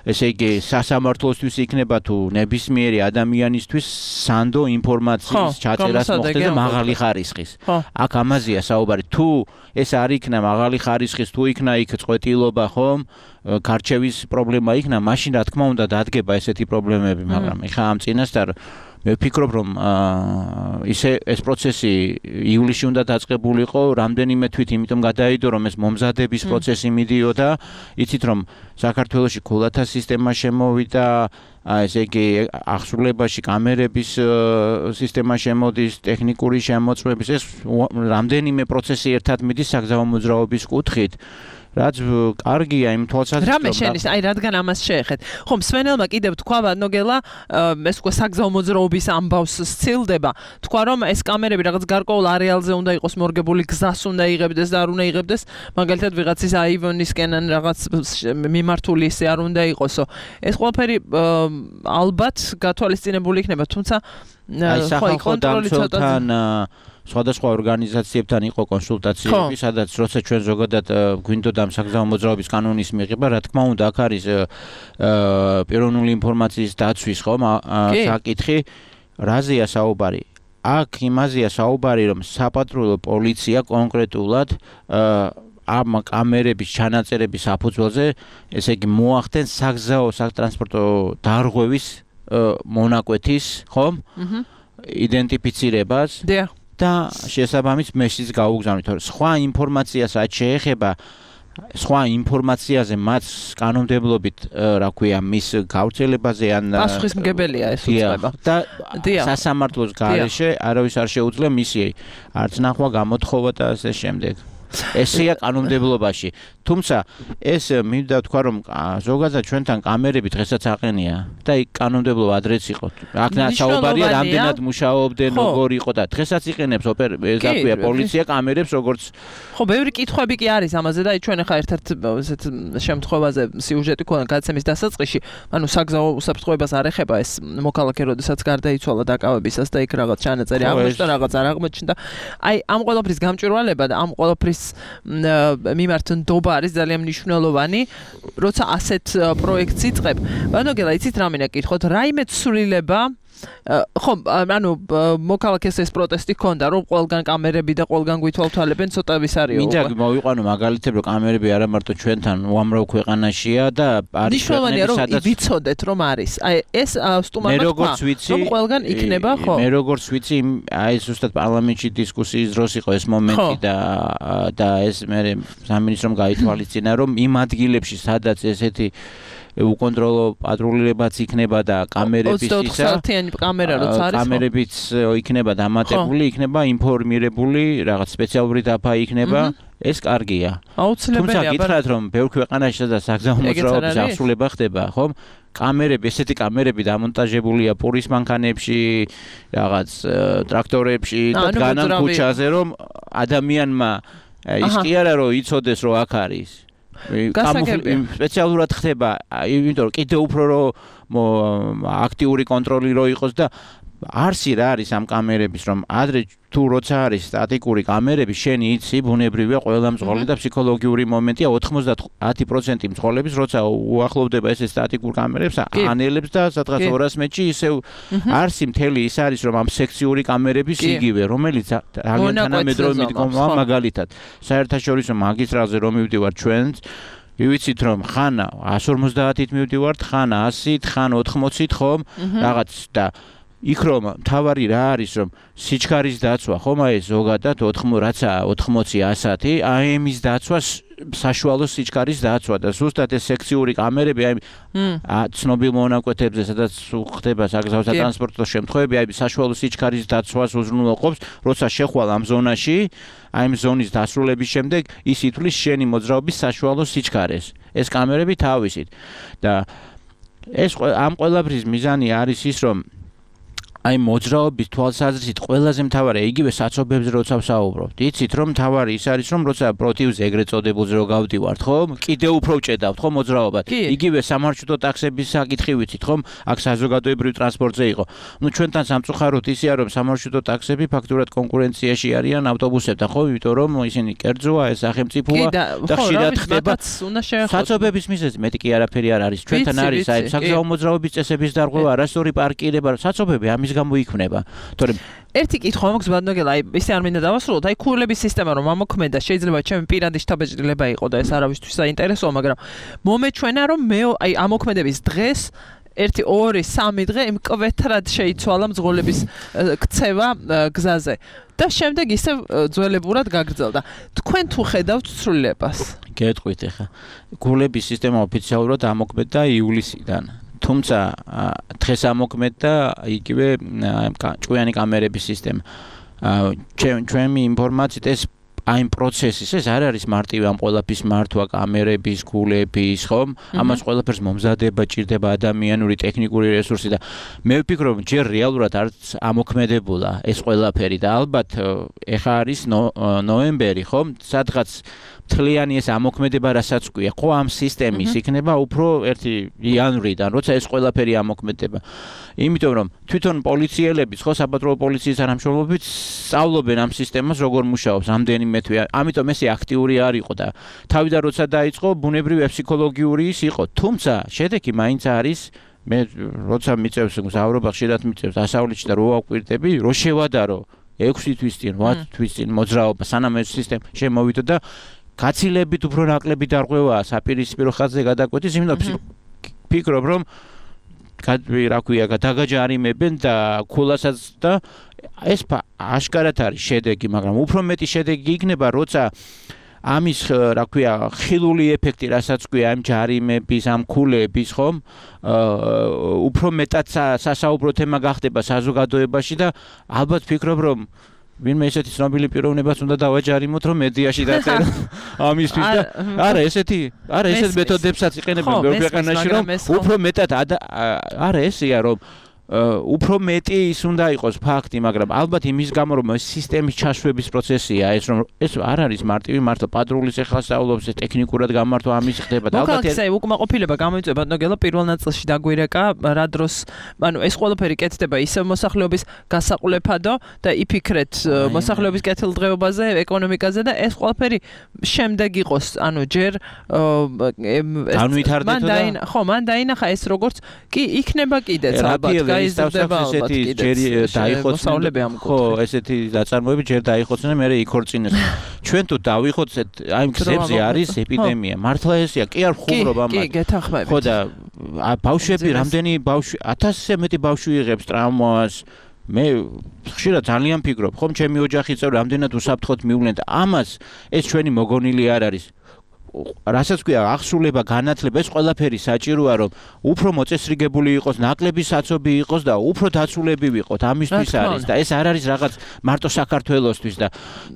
ესე იგი სასამართლოსთვის იქნება თუ ნებისმიერი ადამიანისთვის სანდო ინფორმაციის ჩაწერას მოხდეს და მაღალი ხარისხის. აქ ამაზეა საუბარი. თუ ეს არ იქნა მაღალი ხარისხის, თუ იქნა იქ წყვეტილობა, ხომ, გარჩევის პრობლემა იქნა, მაშინ რა თქმა უნდა დადგება ესეთი პრობლემები, მაგრამ ეხა ამ წინასწარ მე ვფიქრობ რომ ისე ეს პროცესი ივლისში უნდა დაწყებულიყო რამდენიმე თვით იმიტომ გადაიდო რომ ეს მომზადების პროცესი მიდიოდა იცით რომ საქართველოში ქულათა სისტემა შემოვიდა ესე იგი აღსრულებაში კამერების სისტემა შემოდის ტექნიკური შემოწმების ეს რამდენიმე პროცესი ერთად მიდის საგზაო მოძრაობის კუთხით რაც კარგია იმ თვალსაზრისით რამე შენის აი რადგან ამას შეეხეთ ხომ სვენელმა კიდევ თქვა ნოგელა ეს უკვე საგზაო მოძრაობის ამბავს სცილდება თქვა რომ ეს კამერები რაღაც გარკვეულ არეალზე უნდა იყოს მორგებული გზას უნდა იღებდეს და არ უნდა იღებდეს მაგალითად ვიღაცის აივონისკენ ან რაღაც მიმართული ისე არ უნდა იყოსო ეს ყველაფერი ალბათ გათვალისწინებული იქნება თუმცა აი სახალხო დამცველთან სხვადასხვა ორგანიზაციებთან იყო კონსულტაციები, სადაც როცა ჩვენ ზოგადად გვინდოდა საგზაო მოძრაობის კანონის მიღება, რა თქმა უნდა, აქ არის პიროვნული ინფორმაციის დაცვის ხომ საკითხი, რაზეა საუბარი? აქ იმაზეა საუბარი, რომ საპატრულო პოლიცია კონკრეტულად ამ კამერების ჩანაწერების საფუძველზე, ესე იგი მოახდენს საგზაო სატრანსპორტო დარღვევის მონაკვეთის, ხომ? იდენტიფიცირებას. დიახ. და შესაბამის მეშიც გაუგზავნით. სხვა ინფორმაციას რაც შეეხება სხვა ინფორმაციაზე მათ კანონმდებლობით, რა ქვია, მის გავრცელებაზე ან პასუხისმგებელია ეს უწყება. და სასამართლოს გარეშე არავის არ შეუძლია მისი არც ნახვა, გამოთხოვა და ასე შემდეგ. ესეა კანონმდებლობაში. თუმცა ეს მინდა თქვა რომ ზოგადად ჩვენთან კამერები დღესაც აყენია და იქ კანონმდებლობა ადრეც იყო. აქ საუბარია რამდენად მუშაობდნენ, როგორ იყო და დღესაც იყენებს ოპერაცია პოლიცია კამერებს როგორც ხო, ბევრი კითხვები კი არის ამაზე და ჩვენ ახლა ერთ-ერთ ესეთ შემთხვევაზე სიუჟეტი ქონა გადაცემის დასაწყისში, ანუ საგზაო უსაფრთხოებას არ ეხება ეს მოქალაქე, როდესაც გარდაიცვალა დაკავებისას და იქ რაღაც ჩანაწერი აღმოჩნდა, რაღაც არ აღმოჩნდა. აი, ამ ყველაფრის გამჭვირვალება და ამ ყველაფრის მიმართ ნდობა არის ძალიან მნიშვნელოვანი, როცა ასეთ პროექტს იწყებ. ბანოგელა, იცით რა მინდა კითხოთ, რაიმე ცვლილება ხო, ანუ მოქალაქეს ეს პროტესტი ჰქონდა, რომ ყველგან კამერები და ყველგან გვითვალთვალებენ, ცოტა ვის არის უკვე. მინდა მოვიყვანო მაგალითები, რომ კამერები არა მარტო ჩვენთან უამრავ ქვეყანაშია და არის მნიშვნელოვანია რომ ვიცოდეთ რომ არის. აი ეს სტუმარმა თქვა, რომ ყველგან იქნება, ხო? მე როგორც ვიცი, აი ზუსტად პარლამენტში დისკუსიის დროს იყო ეს მომენტი და და ეს მე სამინისტრომ გაითვალისწინა, რომ იმ ადგილებში, სადაც ესეთი უკონტროლო პატრულირებაც იქნება და კამერების ისა ოცდაოთხ საათიანი კამერა როც არის კამერებიც იქნება დამატებული, იქნება ინფორმირებული, რაღაც სპეციალური დაფა იქნება, ეს კარგია. აუცილებელია. თუმცა გითხრათ რომ ბევრ ქვეყანაში სადაც საგზაო მოძრაობის აღსრულება ხდება, ხომ? კამერები, ესეთი კამერები დამონტაჟებულია პურის მანქანებში, რაღაც ტრაქტორებში და განან ქუჩაზე, რომ ადამიანმა ის კი არა რომ იცოდეს რომ აქ არის. სპეციალურად ხდება, იმიტომ რომ კიდევ უფრო რომ აქტიური კონტროლი რო იყოს და არსი რა არის ამ კამერების, რომ ადრე თუ როცა არის სტატიკური კამერები, შენი იცი, ბუნებრივია ყველა მძღოლი და ფსიქოლოგიური მომენტია ოცდაათი პროცენტი მძღოლების, როცა უახლოვდება ეს სტატიკურ კამერებს, ანელებს და სადღაც ორას მეტრში ისევ არსი მთელი ის არის, რომ ამ სექციური კამერების იგივე, რომელიც ძალიან თანამედროვე მიდგომა მაგალითად. საერთაშორისო მაგისტრალზე რომ მივდივარ ჩვენც ვიცით რომ ხან εκατს ორმოცდაათით მივდივართ, ხან ასით, ხან ოთხმოცით ხომ, რაღაც და იქ რომ თავარი რა არის რომ სიჩქარის დაცვა ხომ აი ზოგადად რაცაა ოთხმოცი ასათი აი იმის დაცვა საშუალო სიჩქარის დაცვა და ზუსტად ეს სექციური კამერები აი ცნობილ მონაკვეთებზე სადაც ხდება საგზაო სატრანსპორტო შემთხვევები აი საშუალო სიჩქარის დაცვას უზრუნველყოფს როცა შეხვალ ამ ზონაში აი იმ ზონის დასრულების შემდეგ ის ითვლის შენი მოძრაობის საშუალო სიჩქარეს ეს კამერები თავისით და ეს ამ ყველაფრის მიზანი არის ის რომ აი მოძრაობის თვალსაზრისით ყველაზე მთავარი იგივე საცობებზე როცა ვსაუბრობთ. იცით რომ მთავარი ის არის რომ როცა პროტივზე ეგრეთ წოდებულზე რო გავდივართ, ხომ? კიდევ უფრო ვჭედავთ, ხომ მოძრაობად. იგივე სამარშრუტო ტაქსების საკითხი ვიცით, ხომ? აქ საზოგადოებრივ ტრანსპორტზე იყო. ნუ ჩვენთან სამწუხაროდ ისეა რომ სამარშრუტო ტაქსები ფაქტურად კონკურენციაში არიან ავტობუსებთან, ხო? იმიტომ რომ ისინი კერძოა, ეს სახელმწიფოა და ხშირად ხდება. საცობების მიზეზი მეტი კი არაფერი არ არის. ჩვენთან არის აი საგზაო მოძრაობის წესების დარღვევა, არასწორი პარკირება, საცობები ამის გამო იქნება. თორემ ერთი კითხვა მაქვს ბატონო, აი ისე არ მინდა დავასრულოთ, აი ქულების სისტემა რომ ამოქმედა, შეიძლება ჩემი პირადი შთაბეჭდილება იყო და ეს არავისთვის საინტერესოა, მაგრამ მომეჩვენა რომ მე აი ამოქმედების დღეს ერთი, ორი, სამი დღე მკვეთრად შეიცვალა მძღოლების ქცევა გზაზე და შემდეგ ისე ძველებურად გაგრძელდა. თქვენ თუ ხედავთ ცვლილებას? გეტყვით ახლა. ქულების სისტემა ოფიციალურად ამოქმედა ივლისიდან. თუმცა დღეს ამოქმედა იგივე ჭკვიანი კამერების სისტემა. ჩვენი ინფორმაციით ეს აი პროცესის ეს არ არის მარტივი ამ ყველაფრის მართვა კამერების, ქულების, ხომ? ამას ყველაფერს მომზადება, ჭირდება ადამიანური, ტექნიკური რესურსი და მე ვფიქრობ, რომ ჯერ რეალურად არც ამოქმედებულა ეს ყველაფერი და ალბათ ეხა არის ნოემბერი, ხომ? სადღაც მთლიანი ეს ამოქმედება რასაც ქვია, ხო ამ სისტემის იქნება უფრო ერთი იანვრიდან, როცა ეს ყველაფერი ამოქმედება. იმიტომ რომ თვითონ პოლიციელები, ხო საპატრულო პოლიციის თანამშრომლობები სწავლობენ ამ სისტემას როგორ მუშაობს, რამდენიმე თვე. ამიტომ ესე აქტიური არ იყო და თავიდან როცა დაიწყო, ბუნებრივი ფსიქოლოგიური ის იყო. თუმცა შედეგი მაინც არის მე როცა მიწევს მგზავრობა ხშირად მიწევს დასავლეთში და რო ვაკვირდები, რო შევადარო ექვსი თვის წინ, ოთხ თვის წინ მოძრაობა სანამ ეს სისტემა შემოვიდა და გაცილებით უფრო ნაკლები დარღვევაა საპირისპირო ხაზზე გადაკვეთის, იმიტომ ფიქრობ რომ რა ქვია, დაგაჯარიმებენ და ქულასაც და ეს აშკარად არის შედეგი, მაგრამ უფრო მეტი შედეგი იქნება, როცა ამის რა ქვია, ხილული ეფექტი, რასაც ქვია ამ ჯარიმების, ამ ქულების, ხომ? უფრო მეტად სასაუბრო თემა გახდება საზოგადოებაში და ალბათ ფიქრობ რომ ვინმე ესეთი ცნობილი პიროვნებას უნდა დავაჯარიმოთ, რომ მედიაში დაწერო ამისთვის და არა, ესეთი, არა, ესეთ მეთოდებსაც იყენებენ ბევრ ქვეყანაში, რომ უფრო მეტად არა ესეა, რომ უფრო მეტი ის უნდა იყოს ფაქტი, მაგრამ ალბათ იმის გამო რომ ეს სისტემის ჩაშვების პროცესია, ეს რომ ეს არ არის მარტივი მართლა პატრულის ახლა სწავლობს, ეს ტექნიკურად გამართვა ამის ხდება და ალბათ ეს უკმაყოფილება გამოიწვება ნოგელა პირველ ნაწილში დაგვირეკა რა დროს, ანუ ეს ყველაფერი კეთდება ისევ მოსახლეობის გასაყულებადო და იფიქრეთ მოსახლეობის კეთილდღეობაზე, ეკონომიკაზე და ეს ყველაფერი შემდეგ იყოს, ანუ ჯერ განვითარდეთო და ხო, მან დაინახა ეს როგორც კი იქნება კიდეც ალბათ გაიზრდება ესეთი ჯერ დაიხოცნენ ხო ესეთი დაწარმოები ჯერ დაიხოცნენ მე იქორწინეს ჩვენ თუ დავიხოცეთ აი გზებზე არის ეპიდემია მართლა ესეა კი არ ხუმრობ ამას კი გეთანხმებით ხო და ბავშვები რამდენი ბავშვი ათასზე მეტი ბავშვი იღებს ტრამვას მე ხშირად ძალიან ფიქრობ ხომ ჩემი ოჯახის წევრები რამდენად უსაფრთხოდ მივლენ და ამას ეს ჩვენი მოგონილი არ არის რასაც ქვია აღსრულება განათლება ეს ყველაფერი საჭიროა რომ უფრო მოწესრიგებული იყოს ნაკლები საცობი იყოს და უფრო დაცულები ვიყოთ ამისთვის არის და ეს არ არის რაღაც მარტო საქართველოსთვის და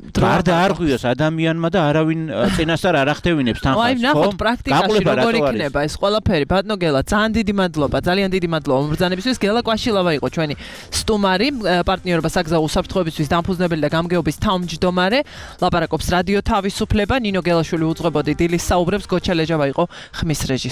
გარდა არ ღვიოს ადამიანმა და არავინ წინასწარ არ ახდევინებს თან ხალხს ხო აი ნახოთ პრაქტიკაში როგორ იქნება ეს ყველაფერი ბატონო გელა ძალიან დიდი მადლობა ძალიან დიდი მადლობა მომბრძანებისთვის გელა კვაშილავა იყო ჩვენი სტუმარი პარტნიორობა საგზაო უსაფრთხოებისთვის დამფუძნებელი და გამგეობის თავმჯდომარე ლაპარაკობს რადიო თავისუფლება ნინო გელაშვილი უძღვებოდი დილის საუბრებს გოჩა ლეჯავა იყო ხმის რეჟისორი